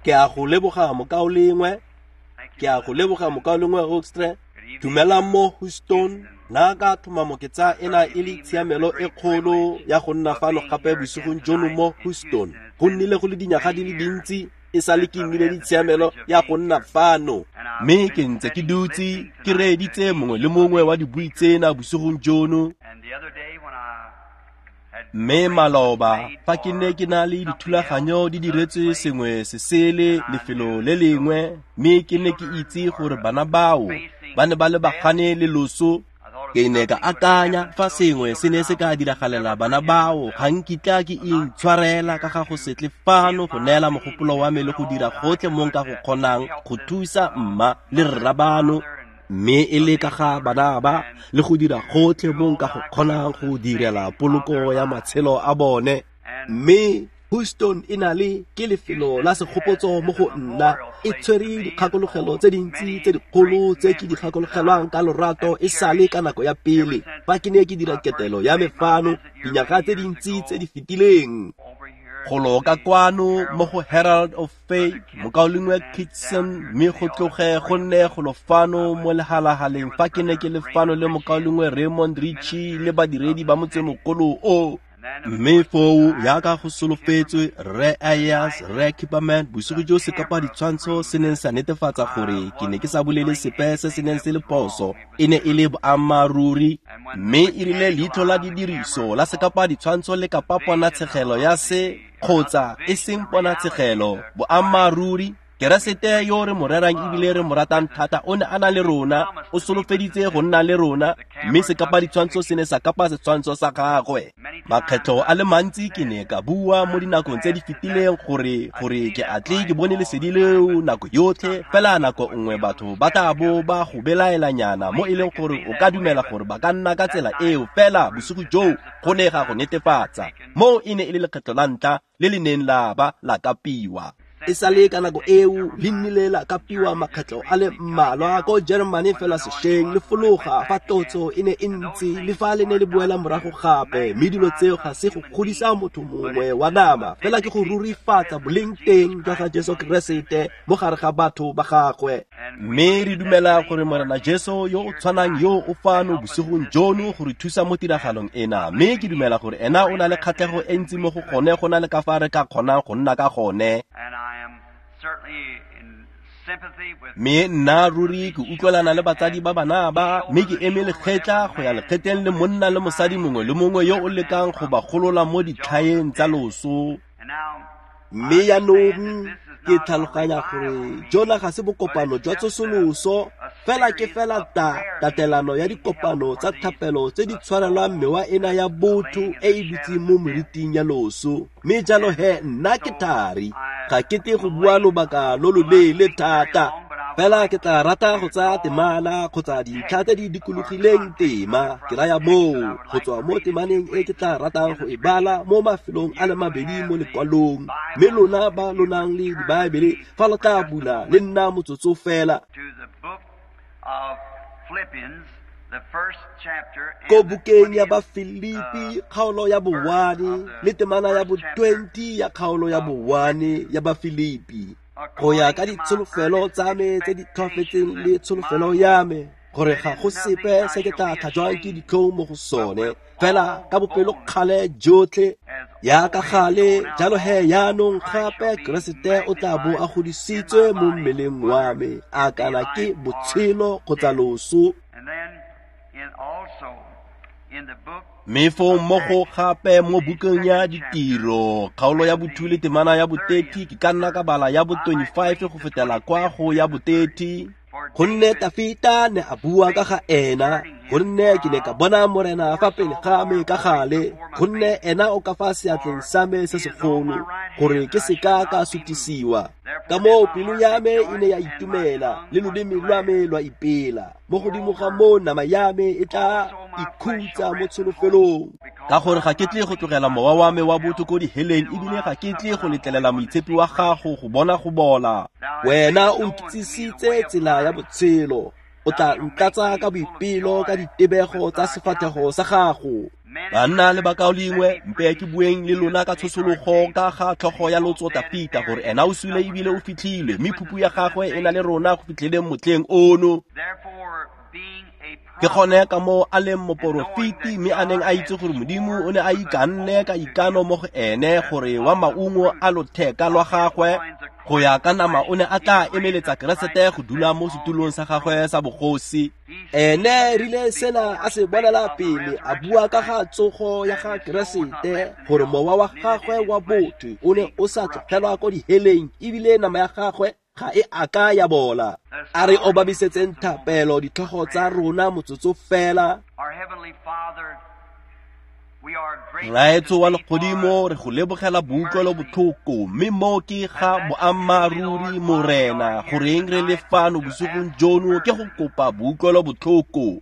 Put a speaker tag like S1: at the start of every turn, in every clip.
S1: Ke a go leboga mokaulengwe. Ke a go leboga mokaulengwe Hoekstra. Dumelang mo Houston. Nna ka tlhomamo ke tsaya ena e le tshiamelo e kgolo ya go nna fano gape bosigong jono mo Houston. Go nnile go le dinyaga di le dintsi e sale ke nnile le tshiamelo ya go nna fano. Mme ke ntse ke dutse ke reeditse mongwe le mongwe wa dibui tsena bosigong jono. Mme maloba fa ke ne ke na le dithulaganyo di diretswe sengwe se sele lefelo le lengwe, mme ke ne ke itse gore bana bao ba ne ba lebagane le loso, ke ne ka akanya fa sengwe se ne se ka diragalela bana bao, ga nkitla ke intshwarela ka ga go se tle fano go neela mogopolo wa me le go dira gotlhe mo nka go kgonang go thusa mma le rra bano, mme e le ka ga bana ba le go dira gotlhe mo nka go kgonang go direla poloko ya matshelo a bone. Mme Houston e na le ke lefelo la segopotso mo go nna, e tshwere dikgakologelo tse dintsi tse dikgolo tse ke di gakologelwang ka lorato e sale ka nako ya pele fa ke ne ke dira ketelo ya me fano dinyaga tse dintsi tse di fetileng. Golo ka kwano mo go Herald of Faith, mokaulengwe Kitson, mme go tloge go nne golo fano mo lehalahaleng fa ke ne ke le fano le mokaulengwe Raymond Richey le badiredi ba motsemogolo o. Mme foo yaka go solofetswe Rre Ayers, Rre Kipperman, bosigo jo sekapa ditshwantsho se neng sa netefatsa gore ke ne ke sa bolele sepe se se neng se le phoso, e ne e le boammaaruri. Mme e rile leitlho la didiriso la sekapa ditshwantsho le kapa ponatshegelo ya se kgotsa e seng ponatshegelo, boammaaruri, Keresete yo re mo rerang ebile re mo ratang thata o ne a na le rona, o solofeditse go nna le rona, mme sekapa ditshwantsho se ne sa kapa setshwantsho sa gagwe. Makgetlho a le mantsi ke ne ka bua mo dinakong tse di fetileng gore ke a tle ke bone lesedi leo nako yotlhe, fela nako nngwe batho ba tla bo ba go belaelanyana mo e leng gore o ka dumela gore ba ka nna ka tsela eo, fela bosigo joo go ne ga go netefatsa. Moo e ne e le lekgetlho la ntlha le le neng la ba la kapiwa. E sale ka nako eo le nnile la kapiwa makgetlho a le mmalwa ko Germany fela sešweng le fologa fa tlotso e ne e ntse le fa le ne le boela morago gape, mme dilo tseo ga se go godisa motho mongwe wa nama, fela ke go rurifatsa boleng teng jwa ga Jesu Keresete mo gare ga batho ba gagwe. Mme re dumela gore Morena Jesu yo o tshwanang yo o fano bosigong jono go re thusa mo tiragalong ena, mme ke dumela gore ena o na le kgatlhego e ntsi mo go gone go na le ka fa re ka kgonang go nna ka gone. Mme nna ruri ke utlwelana le batsadi ba bana ba, mme ke eme lekgetla go ya lekgetleng le monna le mosadi mongwe le mongwe yo o lekang go ba golola mo ditlhaeng tsa loso. Mme jaanong ke tlhaloganya gore jona ga se bokopano jwa tsosoloso, fela ke fela tatelano ya dikopano tsa thapelo tse di tshwarelwang mewa ena ya botho e e dutseng mo meriting ya loso. Mme jalo he nna ke thari, ga ke tle go bua lobaka lo loleele thata, fela ke tla rata go tsaya temana kgotsa dintlha tse di dikologileng tema, ke raya moo go tswa mo temaneng e ke tla ratang go e bala mo mafelong a le mabedi mo lekwalong. Mme lona ba lo nang le dibaebele, fa lo tla bula le nna motsotso fela ko bukeng ya Bafilipi kgaolo ya bo-1 le temana ya bo-20 ya kgaolo ya bo-1 ya Bafilipi, go ya ka ditsholofelo tsa me tse di tlhoafetseng le tsholofelo ya me gore ga go sepe se ke tla tlhajwang ke ditlhong mo go sone, fela ka bopelokgale jotlhe ya ka gale. Jalo he jaanong gape Keresete o tla bo a godisitswe mo mmeleng wa me, a kana ke botshelo kgotsa loso. Mme foo mmogo gape mo bukeng ya Ditiro kgaolo ya bo-2 le temana ya bo-30, ke ka nna ka bala ya bo-25 go fetela kwa go ya bo-30. Gonne Tafita ne a bua ka ga ena, gonne ke ne ka bona Morena fa pele ga me ka gale, gonne ena o ka fa seatleng sa me se segolo, gore ke seka ka sutisiwa. Ka moo pelo ya me e ne ya itumela, le loleme lwa me lwa ipela. Mo godimo ga moo nama ya me e tla ikhutsa mo tsholofelong, ka gore ga ke tle go tlogela mowa wa me wa botho ko diheleng, ebile ga ke tle go letlelela moitshepi wa gago go bona go bola. Wena o nkitsisitse tsela ya botshelo, o tla ntlatsa ka boipelo ka ditebego tsa sefatlhego sa gago. Banna le bakaulengwe, mpe ke bueng le lona ka tshosologo ka ga tlhogo ya lotso Tafita, gore ena o sule ebile o fitlhilwe, mme phupu ya gagwe e na le rona go fitlheleng motlheng ono. Ke gone ka moo a leng moporofeti, mme a neng a itse gore Modimo o ne a ikanne ka ikano mo go ene gore wa maungo a lotheka lwa gagwe go ya ka nama o ne a tla emeletsa Keresete go dula mo setulong sa gagwe sa bogosi. Ene rile sena a se bonela pele, a bua ka ga tsogo ya ga Keresete, gore mowa wa gagwe wa botho o ne o sa tlogelwa ko diheleng, ebile nama ya gagwe ga e a ka ya bola. A re obamisetseng thapelo ditlhogo tsa rona motsotso fela. Rraetsho wa legodimo, re go lebogela boutlwelo botlhoko, mme mo ke ga boammaaruri, Morena, goreng re le fano bosigong jono ke go kopa boutlwelo botlhoko.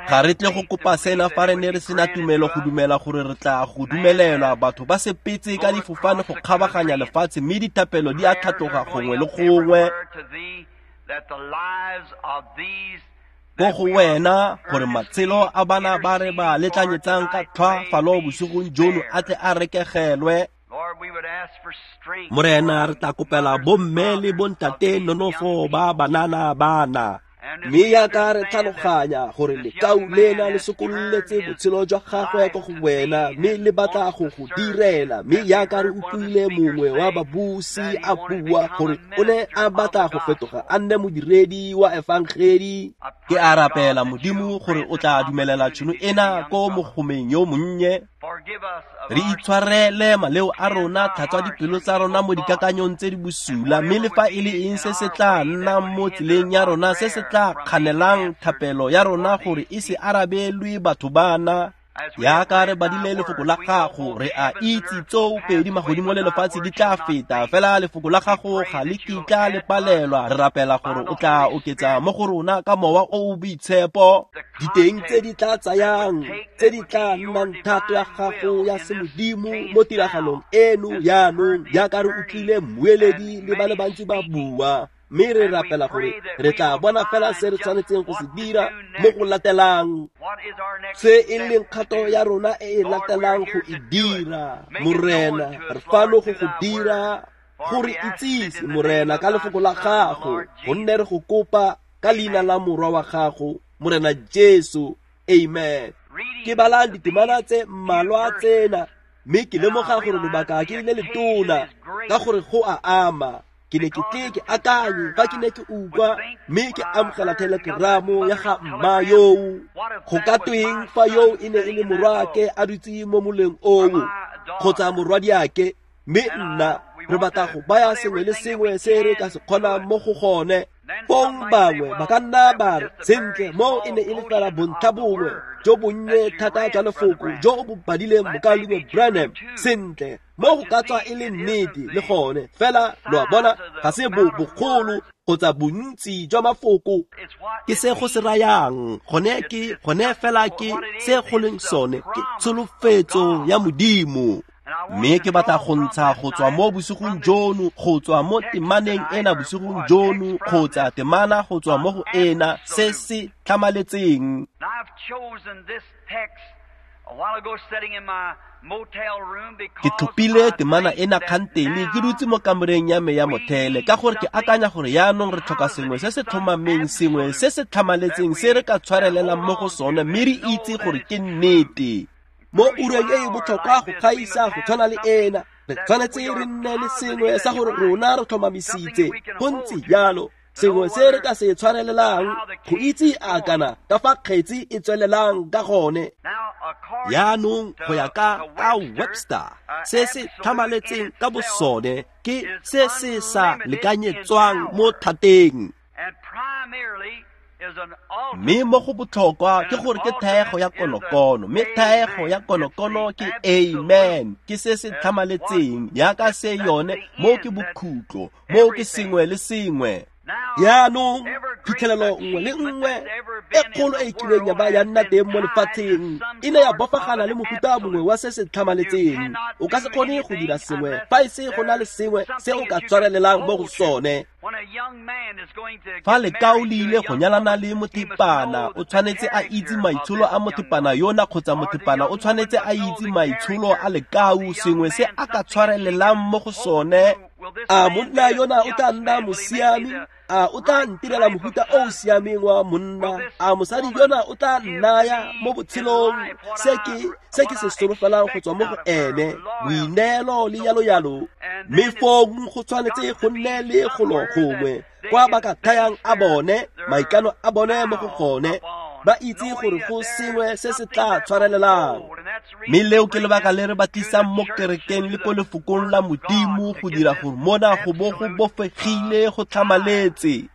S1: Ga re tle go kopa sena fa re ne re sena tumelo go dumela gore re tla go dumelelwa. Batho ba sepetse ka difofane go kgabaganya lefatshe, mme dithapelo di a tlhatloga gongwe le gongwe ko go wena, gore matshelo a bana ba re ba letlanyetsang ka tlhwaafalo bosigong jono a tle a rekegelwe. Morena, re tla kopela bomme le bontate nonofo ba banana bana, mme yaka re tlhaloganya gore lekau lena le sokololetse botshelo jwa gagwe ko go wena, mme le batla go go direla. Mme yaka re utlwile mongwe wa babusi a bua gore o ne a batla go fetoga a nne modiredi wa efangedi. Ke a rapela, Modimo, gore o tla dumelela tšhono ena ko mogomeng yo monnye. Re itshwarele maleo a rona, tlhatswa dipelo tsa rona mo dikakanyong tse di bosula, mme le fa e le eng se se tla nnang mo tseleng ya rona, se se tla kganelang thapelo ya rona gore e se arabelwe batho bana. Yaka re badile lefoko la gago, re a itse tseo pedi magodimo le lefatshe di tla feta, fela lefoko la gago ga le kitla le palelwa. Re rapela gore o tla oketsa mo go rona ka mowa o o boitshepo diteng tse di tla tsayang, tse di tla nnang thato ya gago ya semodimo mo tiragalong eno jaanong, jaaka re utlwile mmueledi le ba le bantsi ba bua. Mme re rapela gore re tla bona fela se re tshwanetseng go se dira mo go latelang, se e leng kgato ya rona e e latelang go e dira. Morena, re fano go go dira, gore itsise, Morena, ka lefoko la gago, gonne re go kopa ka leina la morwa wa gago, Morena Jesu. Amen. Ke bala ditemana tse mmalwa tsena, mme ke lemoga gore lobaka ke le letona, ka gore go a ama. Ke ne ke tle ke akanye fa ke ne ke utlwa, mme ke amogela telegramo ya ga mma yoo. Go ka tweng fa yoo e ne e le morwaake a dutse mo moleng oo, kgotsa morwadiake, mme nna re batla go baya sengwe le sengwe se re ka se kgonang mo go gone. Fong bangwe ba ka nna ba re, sentle, moo e ne e le fela bontlha bongwe jo bonnye thata jwa lefoko jo bo badileng mokaulengwe Branham. Sentle, mo go ka tswa e le nnete le gone, fela lo a bona, ga se bo bogolo kgotsa bontsi jwa mafoko, ke se go se rayang gone, ke gone fela ke se go leng sone, ke tsholofetso ya Modimo. Mme ke batla go ntsha go tswa mo bosigong jono, go tswa mo temaneng ena bosigong jono, kgotsa temana go tswa mo go ena, se se tlhamaletseng. Ke tlhophile temana ena kgantele ke dutse mo kamoreng ya me ya mothele, ka gore ke akanya gore yaanong re tlhoka sengwe se se tlhomameng, sengwe se se tlhamaletseng se re ka tshwarelelang mo go sone, mme re itse gore ke nnete. Mo ureng e e botlhokwa go gaisa go tshwana le ena, re tshwanetse re nne le sengwe sa gore rona re tlhomamisitse go ntse jalo, sengwe se re ka se tshwarelelang go itse a kana ka fa kgetsi e tswelelang ka gone. Yaanong go ya ka Webster, se se tlhamaletseng ka bosone ke se se sa lekanyetswang mo thateng. Mme mo go botlhokwa ke gore ke thaego ya konokono, mme thaego ya konokono ke amen, ke se se tlhamaletseng yaka se yone, mo ke bokhutlo, mo ke sengwe le sengwe. Yaanong Phitlhelelo nngwe le nngwe e kgolo e kileng ya ba ya nna teng mo lefatsheng e ne ya bofagana le mofuta mongwe wa se se tlhamaletseng. O ka se kgone go dira sengwe fa e se go na le sengwe se o ka tshwarelelang mo go sone. Fa lekau le ile go nyalana le mothepana, o tshwanetse a itse maitsholo a mothepana yona kgotsa mothepana o tshwanetse a itse maitsholo a lekau, sengwe se a ka tshwarelelang mo go sone. A monna yona o tla nna mosiami? A o tla ntirela mofuta o o siameng wa monna? A mosadi yona o tla nnaya mo botshelong se ke se solofelang go tswa mo go ene, boineelo le yalo-yalo? Mme fong go tshwanetse go nne le golo gongwe kwa ba ka thayang a bone maikano a bone mo go gone, ba itse gore go sengwe se se tla tshwarelelang. Mme leo ke lebaka le re ba tlisang mo kerekeng le ko lefokong la Modimo, go dira gore mona go bo go bofegile go tlhamaletse.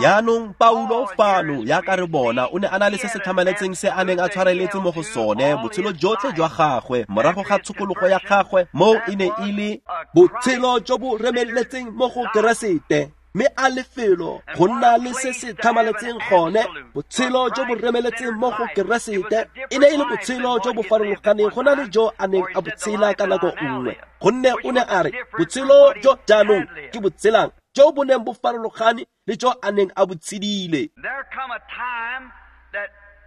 S1: Yaanong Paulo fano, yaka re bona, o ne a na le se se tlhamaletseng se a neng a tshwareletse mo go sone botshelo jotlhe jwa gagwe morago ga tshokologo ya gagwe, moo e ne e le botshelo jo bo remeletseng mo go Keresete. Mme a lefelo go nna le se se tlhamaletseng gone, botshelo jo bo remeletseng mo go Keresete, e ne e le botshelo jo bo farologaneng go na le jo a neng a botshela ka nako nngwe, gonne o ne a re botshelo jo jaanong ke botshelang jo bo neng bo farologane le jo a neng a bo tshedile.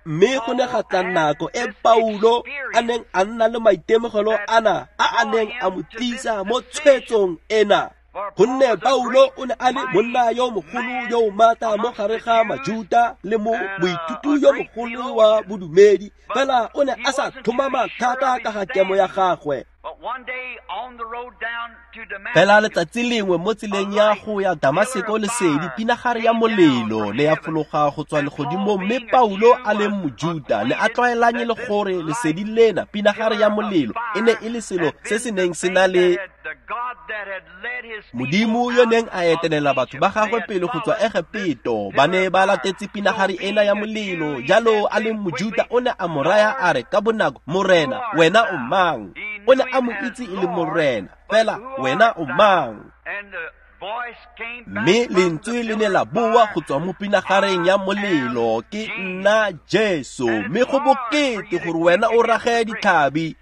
S1: Mme go ne ga tla nako e Paulo a neng a nna le maitemogelo ana a a neng a mo tlisa mo tshwetsong ena, gonne Paulo o ne a le monna yo mogolo yo o maatla mo gare ga Majuta le mo moithuti yo mogolo wa bodumedi, fela o ne a sa tlhomama thata ka ga kemo ya gagwe. Fela letsatsi lengwe mo tseleng ya go ya Damaseko, lesedi pinagare ya molelo ne ya fologa go tswa legodimong, mme Paulo a leng Mojuta ne a tlwaelanye le gore lesedi lena, pinagare ya molelo, e ne e le selo se se neng se na le Modimo yo neng a etelela batho ba gagwe pele go tswa Egepeto. Ba ne ba latetse pinagare ena ya molelo. Jalo a leng Mojuta o ne a mo raya a re ka bonako, Morena, wena o mang? O ne a mo itse e le Morena, fela wena o mang? Mme lentswe le ne la boa go tswa mo pinagareng ya molelo, ke nna Jesu, mme go bokete gore wena o rage ditlhabi.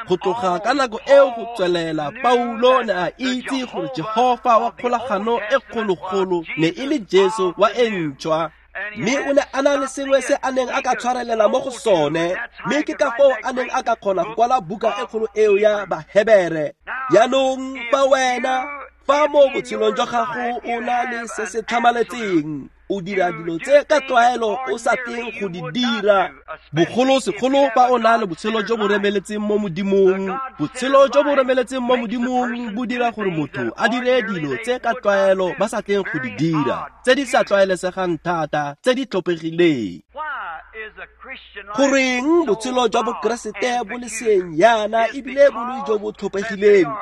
S1: Go tloga ka nako eo go tswelela, Paulo ne a itse gore Jehofa wa kgolagano e kgologolo ne e le Jesu wa e ntšhwa, mme o ne a na le sengwe se a neng a ka tshwarelela mo go sone, mme ke ka foo a neng a ka kgona go kwala buka e kgolo eo ya Bahebere. Jaanong fa wena, fa mo botshelong jwa gago o na le se se tlhamaletseng, o dira dilo tse ka tlwaelo o sa teng go di dira, bogolosegolo fa o na le botshelo jo bo remeletseng mo Modimong. Botshelo jo bo remeletseng mo Modimong bo dira gore motho a dire dilo tse ka tlwaelo ba sa tleng go di dira, tse di sa tlwaelesegang thata, tse di tlhophegileng. Goreng botshelo jwa Bokeresete bo le seeng yana ebile bo le jo bo tlhophegileng?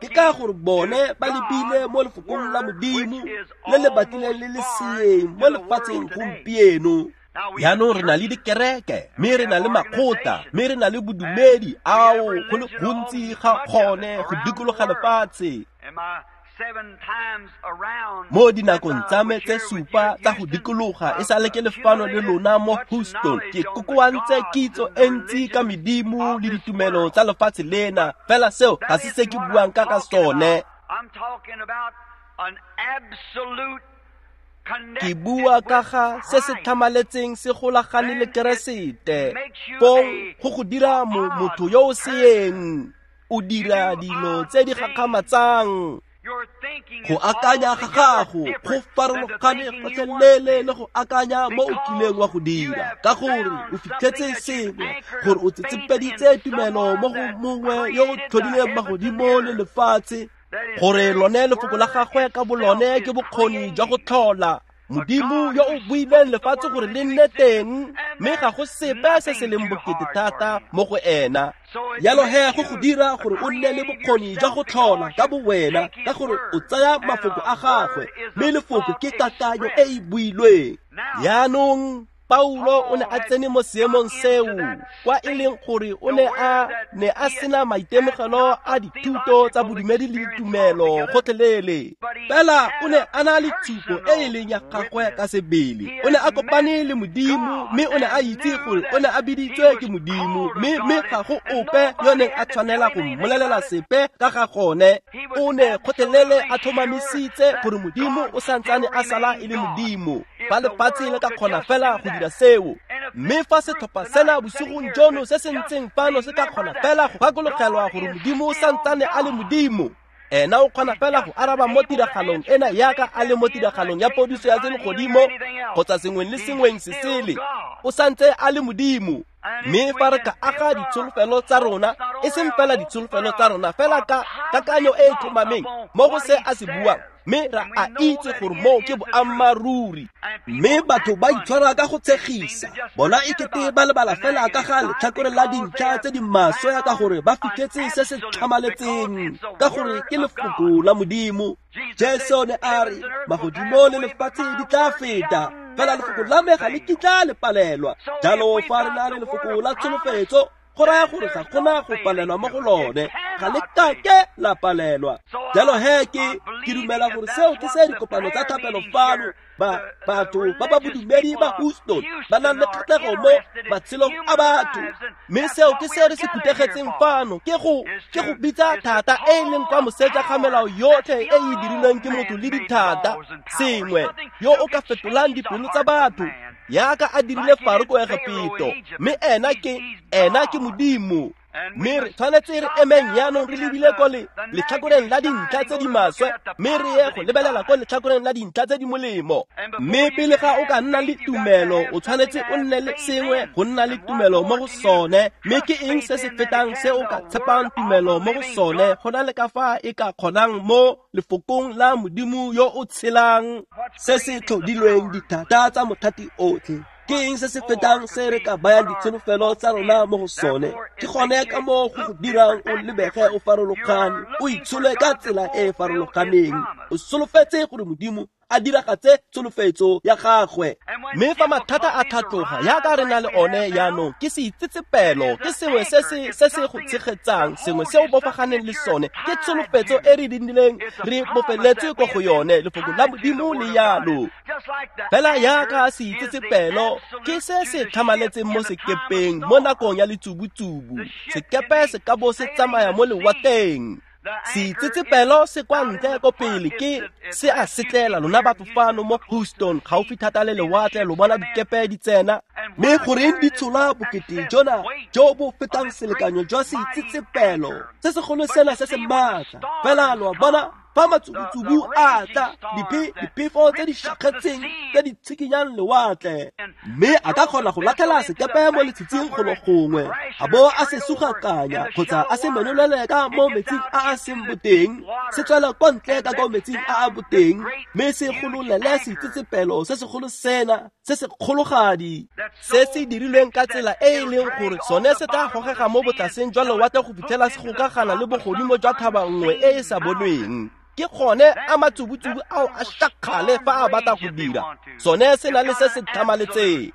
S1: Ke ka gore bone ba lebile mo lefokong la Modimo le le batlileng le le seeng mo lefatsheng gompieno. Jaanong re na le dikereke, mme re na le makgotla, mme re na le bodumedi ao go le gontsi ga gone go dikologa lefatshe. Mo dinakong tsa me tse supa tsa go dikologa e sale ke lefano le lona mo Houston, ke kokoantse kitso e ntsi ka medimo le ditumelo tsa lefatshe lena, fela seo ga se se ke buang ka ka sone. Ke bua ka ga se se tlhamaletseng se golagane le Keresete, fong go go dira motho yo o seeng. O dira dilo tse di gakgamatsang. Go akanya ga gago go farologane gotlhelele le go akanya mo o kileng wa go dira, ka gore o fitlhetse sengwe, gore o tsetsepeditse tumelo mo go mongwe yo o tlhodileng magodimo le lefatshe, gore lone lefoko la gagwe ka bolone ke bokgoni jwa go tlhola. Modimo yo o buileng lefatshe gore le nne teng, mme ga go sepe se se leng bokete thata mo go ena. Jalo he go go dira gore o nne le bokgoni jwa go tlhola ka bowena, ka gore o tsaya mafoko a gagwe, mme lefoko ke kakanyo e e builweng. Jaanong Paulo o ne a tsene mo seemong seo kwa e leng gore o ne a sena maitemogelo a dithuto tsa bodumedi le ditumelo gotlhelele. Fela o ne a na le tshupo e e leng ya gagwe ka sebele. O ne a kopane le Modimo mme o ne a itse gore o ne a biditswe ke Modimo, mme ga go ope yo neng a tshwanela go mmolelela sepe ka ga gone. O ne gotlhelele a tlhomamisitse gore Modimo o santsane a sala e le Modimo. Fa lefatshe le ka kgona fela go dira seo, mme fa setlhopha sena bosigong jono se se ntseng fano se ka kgona fela go gakologelwa gore Modimo o santsane a le Modimo, ena o kgona fela go araba mo tiragalong ena yaka a le mo tiragalong ya podiso ya selegodimo kgotsa sengweng le sengweng se sele. O santse a le Modimo. Mme fa re ka aga ditsholofelo tsa rona, e seng fela ditsholofelo tsa rona, fela ka kakanyo e e tlhomameng mo go se a se buang, mme ra a itse gore moo ke boammaaruri. Mme batho ba itshwara ka go tshegisa, bona e kete ba lebala fela ka ga letlhakore la dintlha tse di maswe ka gore ba fitlhetse se se tlhamaletseng, ka gore ke lefoko la Modimo. Jesu ne a re, magodimo le lefatshe di tla feta, fela lefoko la me ga le kitla le palelwa. Jalo fa re na le lefoko la tsholofetso, go raya gore ga gona go palelwa mo go lone, ga le kake la palelwa. Jalo he ke dumela gore seo ke se dikopano tsa thapelo fano batho ba ba bodumedi ba Houston ba nang le kgatlhego mo matshelong a batho. Mme seo ke se re se phuthegetseng fano, ke go bitsa thata e e leng kwa moseja ga melao yotlhe e e dirilweng ke motho le dithata, sengwe yo o ka fetolang dipelo tsa batho yaka a dirile Faro ko Egepito. Mme ena ke Modimo. Mme re tshwanetse re emeng jaanong re lebile ko letlhakoreng la dintlha tse di maswe, mme re ye go lebelela ko letlhakoreng la dintlha tse di molemo. Mme pele ga o ka nna le tumelo, o tshwanetse o nne le sengwe go nna le tumelo mo go sone. Mme ke eng se se fetang se o ka tshepang tumelo mo go sone go na le ka fa e ka kgonang mo lefokong la Modimo yo o tshelang, se se tlhodilweng dithata tsa mothati otlhe? Ke eng se se fetang se re ka bayang ditsholofelo tsa rona mo go sone? Ke gone ka moo go go dirang o lebege o farologane, o itshole ka tsela e e farologaneng, o solofetse gore Modimo a diragatse tsholofetso ya gagwe. Mme fa mathata a tlhatloga yaka re na le one jaanong, ke seitsetsepelo, ke sengwe se se go tshegetsang, sengwe se o bofaganeng le sone, ke tsholofetso e re dirileng re bofeletswe ko go yone, lefoko la Modimo le yalo. Fela yaka seitsetsepelo ke se se tlhamaletseng mo sekepeng mo nakong ya letsubutsubu, sekepe se ka bo se tsamaya mo lewatleng. Seitsetsepelo se kwa ntle ko pele ke se a setlela lona batho fano mo Houston gaufi thata le lewatle, lo bona dikepe di tsena. Mme goreng di tshola bokete jona jo bo fetang selekanyo jwa seitsetsepelo se segolo sena se se maatla? Fela lo bona fa matsubutsubu a tla, diphefo tse di šakgetseng tse di tshikinyang lewatle, mme a ka kgona go latlhela sekepe mo letshitsing golo gongwe, a bo a se sugakanya kgotsa a se menolele ka mo metsing a a seng boteng, se tswela kwa ntle ka ko metsing a a boteng, mme se gololele seitsetsepelo se segolo sena se se kgologadi se se dirilweng ka tsela e e leng gore sone se tla gogega mo botlaseng jwa lewatle go fitlhela se gokagana le bogodimo jwa thaba nngwe e e sa bonweng. Ke gone a matsubutsubu ao a šakgale fa a batla go dira sone se na le se se tlhamaletseng.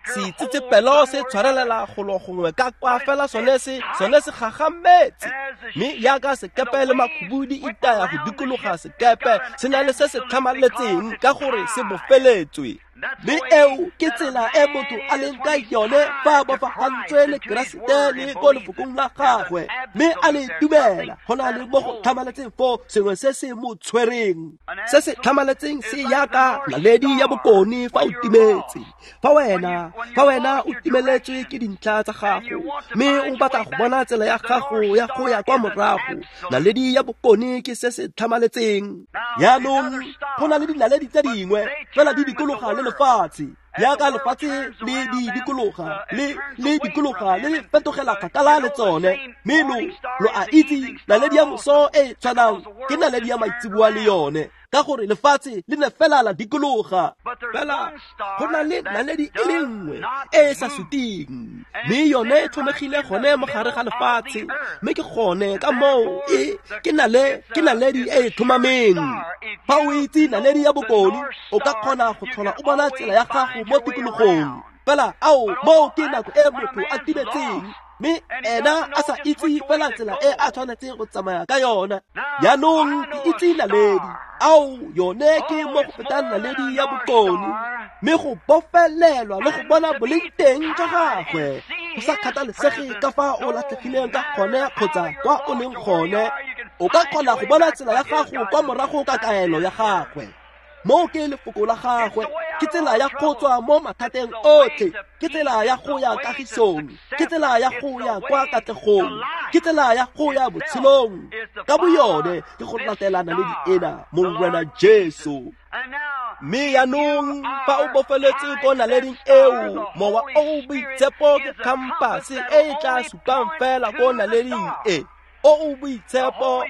S1: Seitsetsepelo se tshwarelela golo gongwe ka kwa, fela sone se gagametse. Mme yaka sekepe le makhubu di itaya go dikologa sekepe, se na le se se tlhamaletseng ka gore se bofeletswe. Mme eo ke tsela e motho a leng ka yone fa a bofagantswe le Keresete le ko lefokong la gagwe, mme a le dumela, go na le mo go tlhamaletseng foo sengwe se se mo tshwereng. Se se tlhamaletseng se yaka naledi ya bokone fa o timetse. Fa wena o timeletswe ke dintlha tsa gago, mme o batla go bona tsela ya gago ya go ya kwa morago, naledi ya bokone ke se se tlhamaletseng. Jaanong go na le dinaledi tse dingwe fela di dikologa le lefatshe, yaka lefatshe le di dikologa le dikologa le fetogela kgakala le tsone. Mme lo a itse naledi ya moso e tshwanang ke naledi ya maitseboa le yone. ka gore lefatshe le ne fela la dikologa. Fela go na le naledi e le nngwe e e sa suting, mme yone e tlhomegile gone mo gare ga lefatshe, mme ke gone ka moo e ke naledi e e tlhomameng. Fa o itse naledi ya bokone, o ka kgona go tlhola o bona tsela ya gago mo tikologong. Fela ao moo ke nako e motho a timetseng, mme ena a sa itse fela tsela e a tshwanetseng go tsamaya ka yona. Jaanong ke itse naledi, ao yone ke mo go fetang naledi ya bokone, mme go bofelelwa le go bona boleng teng jwa gagwe, go sa kgathalesege ka fa o latlhegileng ka gone kgotsa kwa o leng gone, o ka kgona go bona tsela ya gago kwa morago ka kaelo ya gagwe. Moo ke lefoko la gagwe, ke tsela ya go tswa mo mathateng otlhe, ke tsela ya go ya kagisong, ke tsela ya go ya kwa katlegong, ke tsela ya go ya botshelong. Ka boyone ke go latela naledi ena, Morena Jesu. Mme jaanong fa o bofeletse ko naleding eo, Mowa o o Boitshepo ke khampase e e tla supang fela ko naleding e. O o Boitshepo,